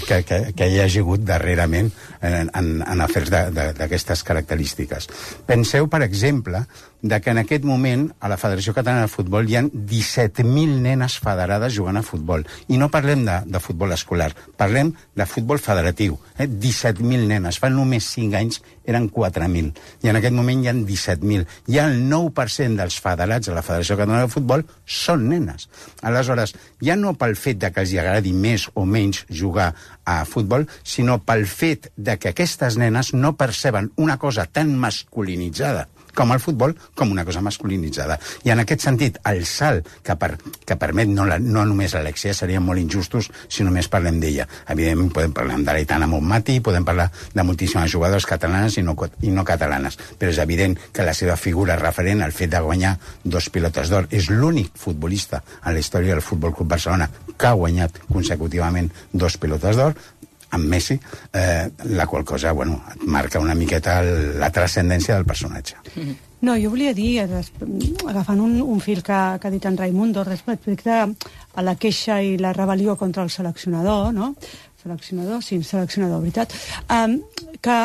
que, que, que hi hagi hagut darrerament en, en, en afers d'aquestes característiques. Penseu, per exemple, de que en aquest moment a la Federació Catalana de Futbol hi ha disset mil nenes federades jugant a futbol. I no parlem de, de futbol escolar, parlem de futbol federatiu. Eh? disset mil nenes. Fa només cinc anys eren quatre mil. I en aquest moment hi ha disset mil. Hi ha el nou per cent dels federats a la Federació Catalana de Futbol són nenes. Aleshores, ja no pel fet de que els agradi més o menys jugar a futbol, sinó pel fet de que aquestes nenes no perceben una cosa tan masculinitzada com el futbol, com una cosa masculinitzada. I en aquest sentit, el salt que, per, que permet no, la, no només l'Alexia, serien molt injustos si només parlem d'ella. Evidentment, podem parlar de l'Aitana Montmati, podem parlar de moltíssimes jugadores catalanes i no, i no catalanes, però és evident que la seva figura referent al fet de guanyar dos pilotes d'or és l'únic futbolista en la història del Futbol Club Barcelona que ha guanyat consecutivament dos pilotes d'or, amb Messi, eh, la qual cosa, bueno, et marca una miqueta el, la transcendència del personatge. No, jo volia dir, agafant un, un fil que, que ha dit en Raimundo respecte a la queixa i la rebel·lió contra el seleccionador, no? Seleccionador, sí, seleccionador, veritat. Um, que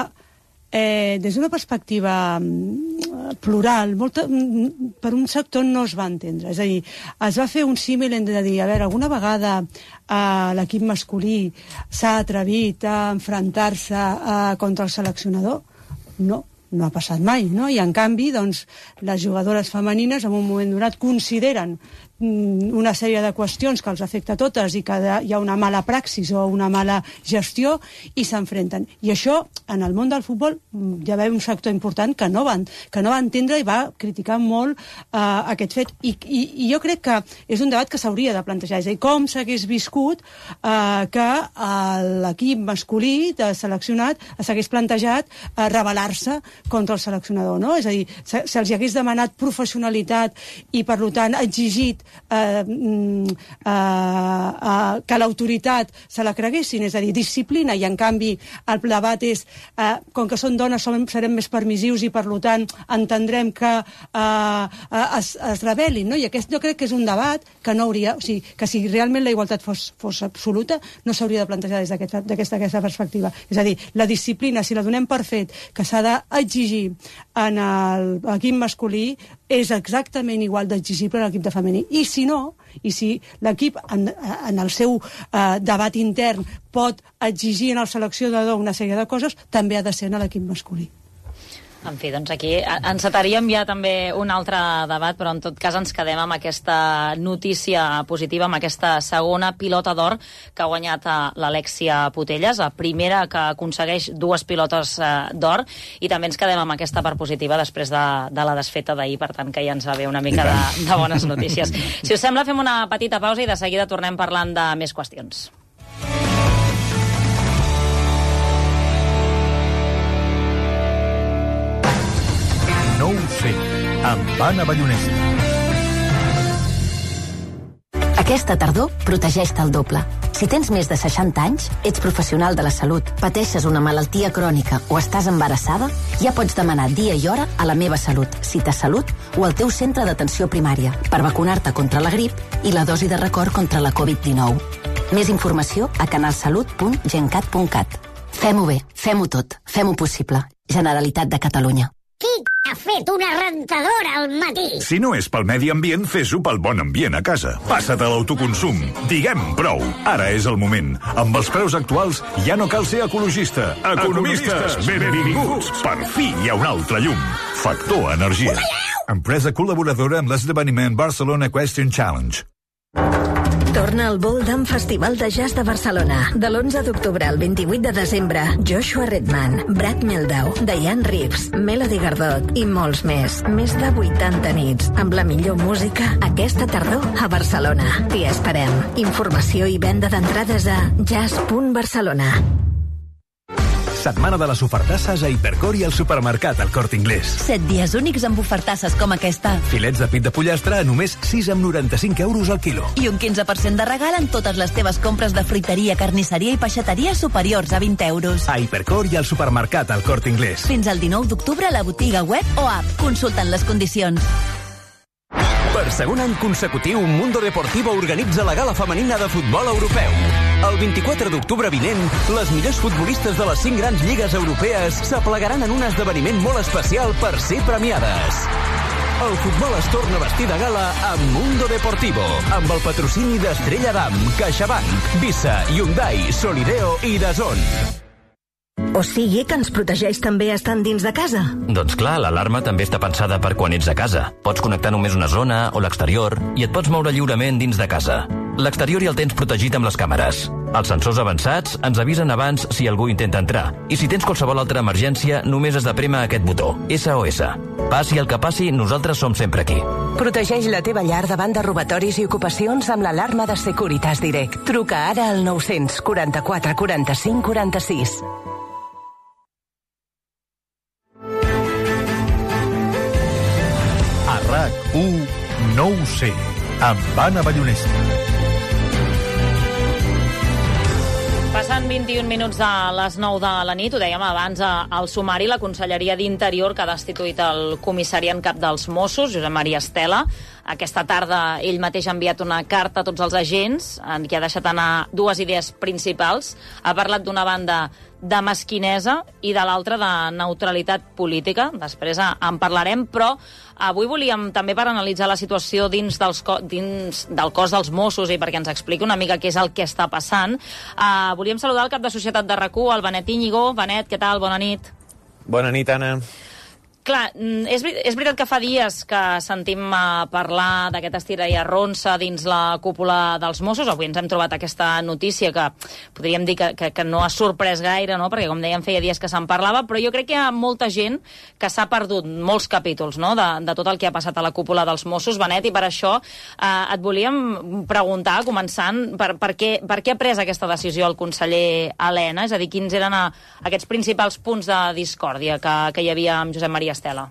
eh, des d'una perspectiva plural, molta, per un sector no es va entendre. És a dir, es va fer un símil de dir, a veure, alguna vegada eh, l'equip masculí s'ha atrevit a enfrontar-se eh, contra el seleccionador? No, no ha passat mai, no? I en canvi, doncs, les jugadores femenines en un moment donat consideren una sèrie de qüestions que els afecta a totes i que hi ha una mala praxis o una mala gestió i s'enfrenten. I això, en el món del futbol, hi va haver un sector important que no va, que no va entendre i va criticar molt eh, aquest fet. I, i, I jo crec que és un debat que s'hauria de plantejar. És a dir, com s'hagués viscut eh, que l'equip masculí de seleccionat s'hagués plantejat eh, rebel·lar-se contra el seleccionador, no? És a dir, se'ls se hagués demanat professionalitat i, per tant, exigit Eh, eh, eh, que l'autoritat se la creguessin, és a dir, disciplina, i en canvi el debat és eh, com que són dones som, serem més permissius i per tant entendrem que eh, es, es rebel·lin, no? I aquest jo crec que és un debat que no hauria, o sigui, que si realment la igualtat fos, fos absoluta no s'hauria de plantejar des d'aquesta aquesta perspectiva. És a dir, la disciplina, si la donem per fet que s'ha d'exigir en l'equip masculí, és exactament igual d'exigible a l'equip de femení. I si no, i si l'equip en, en el seu eh, debat intern pot exigir en el seleccionador una sèrie de coses, també ha de ser en l'equip masculí. En fi, doncs aquí encetaríem ja també un altre debat, però en tot cas ens quedem amb aquesta notícia positiva, amb aquesta segona pilota d'or que ha guanyat l'Alexia Putellas, la primera que aconsegueix dues pilotes d'or, i també ens quedem amb aquesta part positiva després de, de la desfeta d'ahir, per tant que ja ens va bé una mica de, de bones notícies. Si us sembla, fem una petita pausa i de seguida tornem parlant de més qüestions. No ho sé, amb Anna Ballonesta. Aquesta tardor protegeix-te el doble. Si tens més de seixanta anys, ets professional de la salut, pateixes una malaltia crònica o estàs embarassada, ja pots demanar dia i hora a la Meva Salut, Cita Salut o al teu centre d'atenció primària per vacunar-te contra la grip i la dosi de record contra la covid dinou. Més informació a canalsalut punt gencat punt cat. Fem-ho bé, fem-ho tot, fem-ho possible. Generalitat de Catalunya. Qui ha fet una rentadora al matí? Si no és pel medi ambient, fes-ho pel bon ambient a casa. Passa't a l'autoconsum. Diguem prou. Ara és el moment. Amb els preus actuals ja no cal ser ecologista. Economistes, benvinguts. Per fi hi ha un altre llum. Factor Energia. Empresa col·laboradora amb l'esdeveniment Barcelona Question Challenge. Torna al Boldam Festival de Jazz de Barcelona. De l'onze d'octubre al vint-i-vuit de desembre, Joshua Redman, Brad Mehldau, Diane Reeves, Melody Gardot i molts més. Més de vuitanta nits, amb la millor música aquesta tardor a Barcelona. T'hi esperem. Informació i venda d'entrades a jazz punt barcelona. Setmana de les ofertasses a Hipercor i al supermercat El Corte Inglés. Set dies únics amb ofertasses com aquesta. Filets de pit de pollastre a només sis coma noranta-cinc euros al quilo. I un quinze per cent de regal en totes les teves compres de fruiteria, carnisseria i peixateria superiors a vint euros. A Hipercor i al supermercat El Corte Inglés. Fins al dinou d'octubre a la botiga web o app. Consulten les condicions. Per segon any consecutiu, Mundo Deportivo organitza la gala femenina de futbol europeu. El vint-i-quatre d'octubre vinent, les millors futbolistes de les cinc grans lligues europees s'aplegaran en un esdeveniment molt especial per ser premiades. El futbol es torna a vestir de gala amb Mundo Deportivo, amb el patrocini d'Estrella Damm, CaixaBank, Visa, Hyundai, Solideo i DAZN. O sigui que ens protegeix també estant dins de casa? Doncs clar, l'alarma també està pensada per quan ets a casa. Pots connectar només una zona o l'exterior i et pots moure lliurement dins de casa. L'exterior ja el tens protegit amb les càmeres. Els sensors avançats ens avisen abans si algú intenta entrar. I si tens qualsevol altra emergència, només has de prémer aquest botó, S O S. Passi el que passi, nosaltres som sempre aquí. Protegeix la teva llar davant de robatoris i ocupacions amb l'alarma de Securitas Direct. Truca ara al nou quaranta-quatre quaranta-cinc quaranta-sis. A RAC u, no ho sé, amb Anna Ballonesta. Passen vint-i-un minuts de les nou de la nit, ho dèiem abans al sumari, la Conselleria d'Interior que ha destituït el comissari en cap dels Mossos, Josep Maria Estela. Aquesta tarda ell mateix ha enviat una carta a tots els agents en què ha deixat anar dues idees principals. Ha parlat d'una banda de mesquinesa i de l'altra de neutralitat política. Després en parlarem, però avui volíem també per analitzar la situació dins, dels co dins del cos dels Mossos i perquè ens expliqui una mica què és el que està passant. Uh, volíem saludar el cap de Societat de RAC u, el Benet Íñigo. Benet, què tal? Bona nit. Bona nit, Anna. Clar, és, és veritat que fa dies que sentim uh, parlar d'aquest estira i arronsa dins la cúpula dels Mossos. Avui ens hem trobat aquesta notícia que podríem dir que, que, que no ha sorprès gaire, no? Perquè, com dèiem, feia dies que se'n parlava, però jo crec que hi ha molta gent que s'ha perdut molts capítols, no? de, de tot el que ha passat a la cúpula dels Mossos, Benet, i per això uh, et volíem preguntar, començant, per, per, què, per què ha pres aquesta decisió el conseller Elena? És a dir, quins eren uh, aquests principals punts de discòrdia que, que hi havia amb Josep Maria Estela?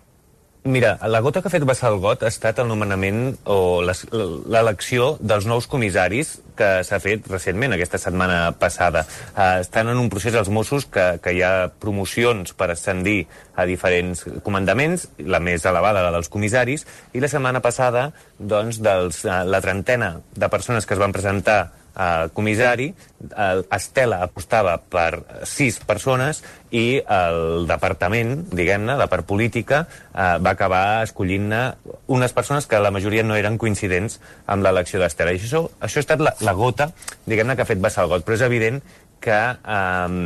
Mira, la gota que ha fet vessar el got ha estat el nomenament o l'elecció dels nous comissaris que s'ha fet recentment, aquesta setmana passada. Uh, estan en un procés als Mossos que, que hi ha promocions per ascendir a diferents comandaments, la més elevada, la dels comissaris, i la setmana passada, doncs, dels, uh, la trentena de persones que es van presentar Uh, comissari, uh, Estela apostava per sis persones i el departament, diguem-ne, la part política, uh, va acabar escollint-ne unes persones que la majoria no eren coincidents amb l'elecció d'Estela. I això, això ha estat la, la gota, diguem-ne, que ha fet vessar el got, però és evident que um,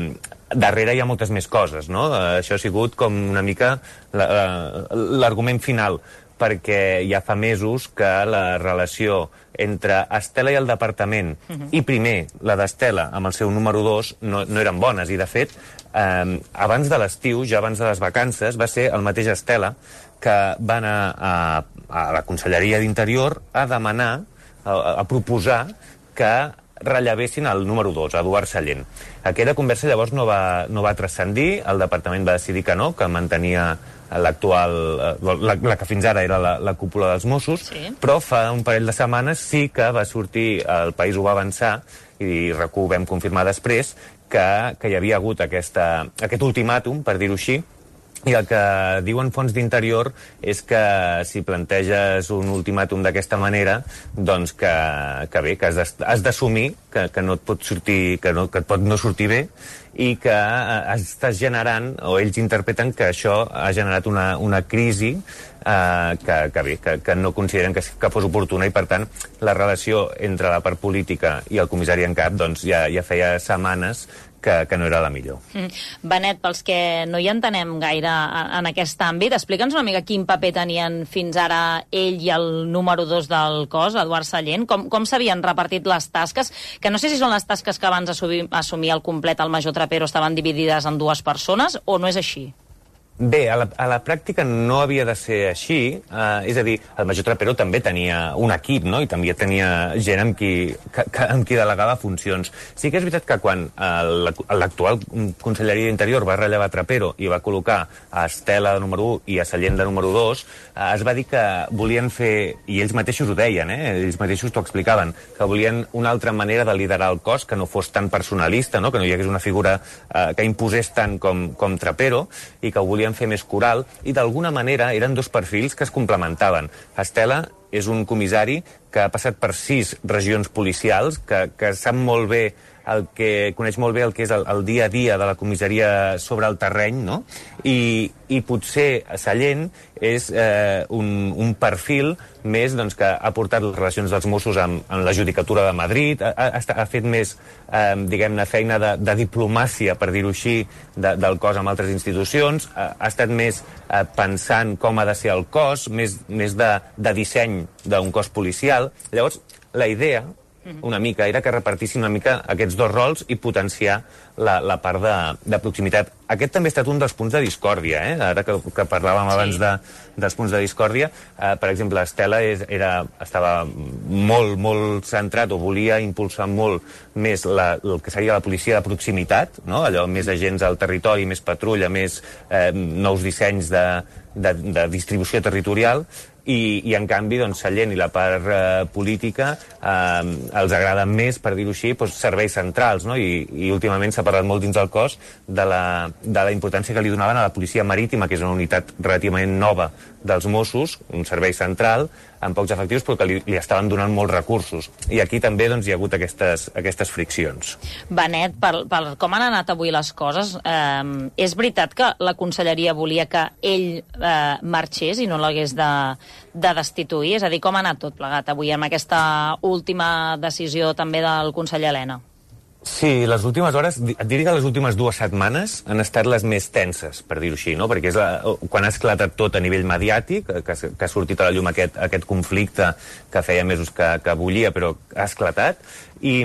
darrere hi ha moltes més coses, no? Uh, això ha sigut com una mica l'argument final, perquè ja fa mesos que la relació entre Estela i el departament, uh-huh. i primer la d'Estela amb el seu número dos, no, no eren bones. I, de fet, eh, abans de l'estiu, ja abans de les vacances, va ser el mateix Estela que va anar a, a la Conselleria d'Interior a demanar, a, a proposar que rellevessin el número dos, Eduard Sallent. Aquella conversa llavors no va, no va transcendir, el departament va decidir que no, que mantenia l'actual, la, la que fins ara era la, la cúpula dels Mossos, sí. Però fa un parell de setmanes sí que va sortir, el País ho va avançar, i R A C u vam confirmar després, que, que hi havia hagut aquesta, aquest ultimàtum, per dir-ho així, i el que diuen fonts d'interior és que si planteges un ultimàtum d'aquesta manera, doncs que, que bé, que has d'assumir que, que no et pot sortir, que, no, que et pot no sortir bé, i que estàs generant, o ells interpreten que això ha generat una, una crisi eh, que, que bé, que, que no consideren que, que fos oportuna, i per tant la relació entre la part política i el comissari en cap doncs ja, ja feia setmanes que, que no era la millor. Mm. Benet, pels que no hi entenem gaire en aquest àmbit, explica'ns una mica quin paper tenien fins ara ell i el número dos del cos, Eduard Sallent, com, com s'havien repartit les tasques, que no sé si són les tasques que abans assumir, assumir el complet el major Trapero estaven dividides en dues persones, o no és així? Bé, a la, a la pràctica no havia de ser així, eh, és a dir, el major Trapero també tenia un equip, no?, i també tenia gent amb qui, que, que, amb qui delegava funcions. Sí que és veritat que quan eh, l'actual Conselleria d'Interior va rellevar Trapero i va col·locar a Estela de número u i a Sallent de número dos, eh, es va dir que volien fer, i ells mateixos ho deien, eh, ells mateixos t'ho explicaven, que volien una altra manera de liderar el cos, que no fos tan personalista, no?, que no hi hagués una figura eh, que imposés tant com, com Trapero, i que ho volien fer més coral, i d'alguna manera eren dos perfils que es complementaven. Estela és un comissari que ha passat per sis regions policials, que, que sap molt bé el que coneix molt bé el que és el, el dia a dia de la comissaria sobre el terreny, no? I, i potser Sallent és eh, un, un perfil més doncs, que ha portat les relacions dels Mossos amb, amb la Judicatura de Madrid, ha, ha, ha fet més, eh, diguem-ne, feina de, de diplomàcia, per dir-ho així, de, del cos amb altres institucions, ha, ha estat més eh, pensant com ha de ser el cos, més, més de, de disseny d'un cos policial. Llavors, la idea una mica, era que repartissin una mica aquests dos rols i potenciar la, la part de, de proximitat. Aquest també ha estat un dels punts de discòrdia, eh? Ara que, que parlàvem sí. abans de, dels punts de discòrdia. Eh, per exemple, Estela és, era, estava molt, molt centrat, o volia impulsar molt més la, el que seria la policia de proximitat, no? Allò, més agents al territori, més patrulla, més eh, nous dissenys de, de, de distribució territorial, i, i en canvi doncs, Sallent i la part eh, política eh, els agrada més, per dir-ho així, doncs, serveis centrals, no? I, i últimament s'ha parlat molt dins del cos de la, de la importància que li donaven a la policia marítima, que és una unitat relativament nova dels Mossos, un servei central, amb pocs efectius, però que li, li estaven donant molts recursos. I aquí també doncs, hi ha hagut aquestes, aquestes friccions. Benet, per, per com han anat avui les coses, eh, és veritat que la conselleria volia que ell eh, marxés i no l'hagués de, de destituir? És a dir, com ha anat tot plegat avui amb aquesta última decisió també del conseller Elena? Sí, les últimes hores, et diria que les últimes dues setmanes han estat les més tenses, per dir-ho així, no? Perquè és la, quan ha esclatat tot a nivell mediàtic, que, que ha sortit a la llum aquest, aquest conflicte que feia mesos que, que bullia, però ha esclatat, i,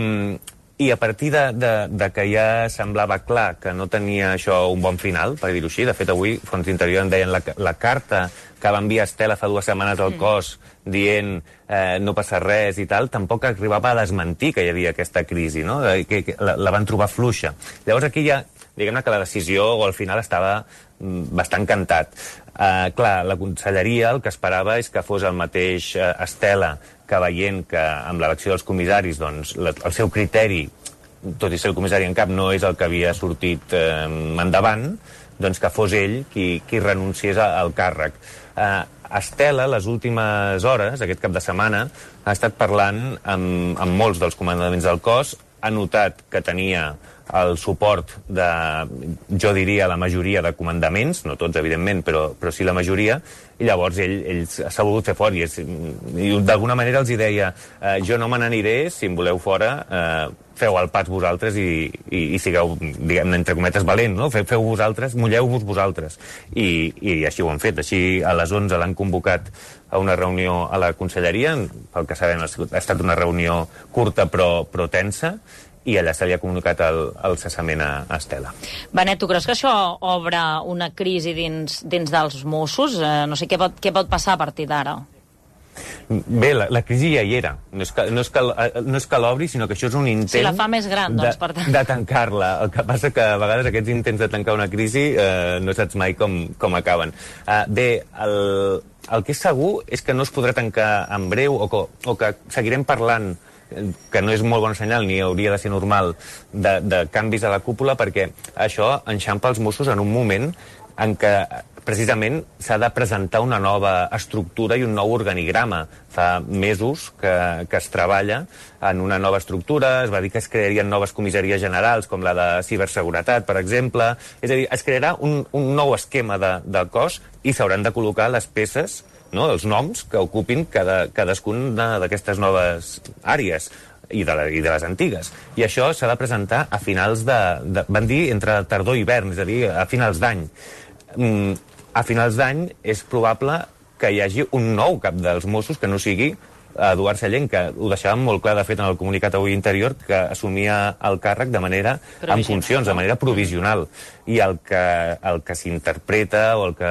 i a partir de, de, de que ja semblava clar que no tenia això un bon final, per dir-ho així, de fet avui Fons d'Interior en deien la, la carta que va enviar Estela fa dues setmanes al cos dient eh, no passa res i tal, tampoc arribava a desmentir que hi havia aquesta crisi, no? Que, que la, la van trobar fluixa. Llavors aquí ja, diguem-ne que la decisió o al final estava bastant cantat. Eh, clar, la conselleria el que esperava és que fos el mateix eh, Estela que veient que amb l'elecció dels comissaris doncs, la, el seu criteri, tot i ser el comissari en cap, no és el que havia sortit eh, endavant, doncs que fos ell qui, qui renunciés al càrrec. Eh, Estela, les últimes hores, aquest cap de setmana, ha estat parlant amb, amb molts dels comandaments del cos, ha notat que tenia el suport de, jo diria, la majoria de comandaments, no tots, evidentment, però, però sí la majoria, i llavors ell, ell s'ha volgut fer fort, i, és, i d'alguna manera els hi deia eh, jo no me n'aniré, si em voleu fora, eh, feu el pas vosaltres i, i, i sigueu, diguem-ne, entre cometes, valent, no? Feu, feu vosaltres, mulleu-vos vosaltres. I, I així ho han fet. Així a les onze l'han convocat a una reunió a la conselleria, pel que sabem ha estat una reunió curta però, però tensa, i allà se li ha comunicat el, el cessament a, a Estela. Benet, tu creus que això obre una crisi dins, dins dels Mossos? Eh, no sé què pot, què pot passar a partir d'ara. Bé, la, la crisi ja hi era. No és que, no és que, no és que l'obri, sinó que això és un intent... Si la fa més gran, doncs, per tant. De, de tancar-la. El que passa que a vegades aquests intents de tancar una crisi eh, no saps mai com, com acaben. Eh, bé, el, el que és segur és que no es podrà tancar en breu o que, o que seguirem parlant, que no és molt bon senyal ni hauria de ser normal, de, de canvis a la cúpula, perquè això enxampa els Mossos en un moment en què precisament s'ha de presentar una nova estructura i un nou organigrama. Fa mesos que, que es treballa en una nova estructura, es va dir que es crearien noves comissaries generals, com la de ciberseguretat, per exemple. És a dir, es crearà un, un nou esquema de, del cos i s'hauran de col·locar les peces, no?, els noms que ocupin cada, cadascuna d'aquestes noves àrees i de, la, i de les antigues. I això s'ha de presentar a finals de, de... Van dir entre tardor i hivern, és a dir, a finals d'any. Mm, a finals d'any és probable que hi hagi un nou cap dels Mossos que no sigui Eduard Sallent, que ho deixàvem molt clar, de fet, en el comunicat avui interior, que assumia el càrrec de manera, en funcions, de manera provisional. I el que, el que s'interpreta o el que,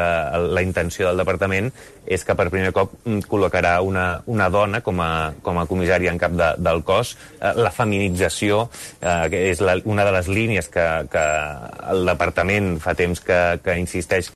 la intenció del departament és que per primer cop col·locarà una, una dona com a, com a comissària en cap de, del cos. La feminització eh, que és la, una de les línies que, que el departament fa temps que, que insisteix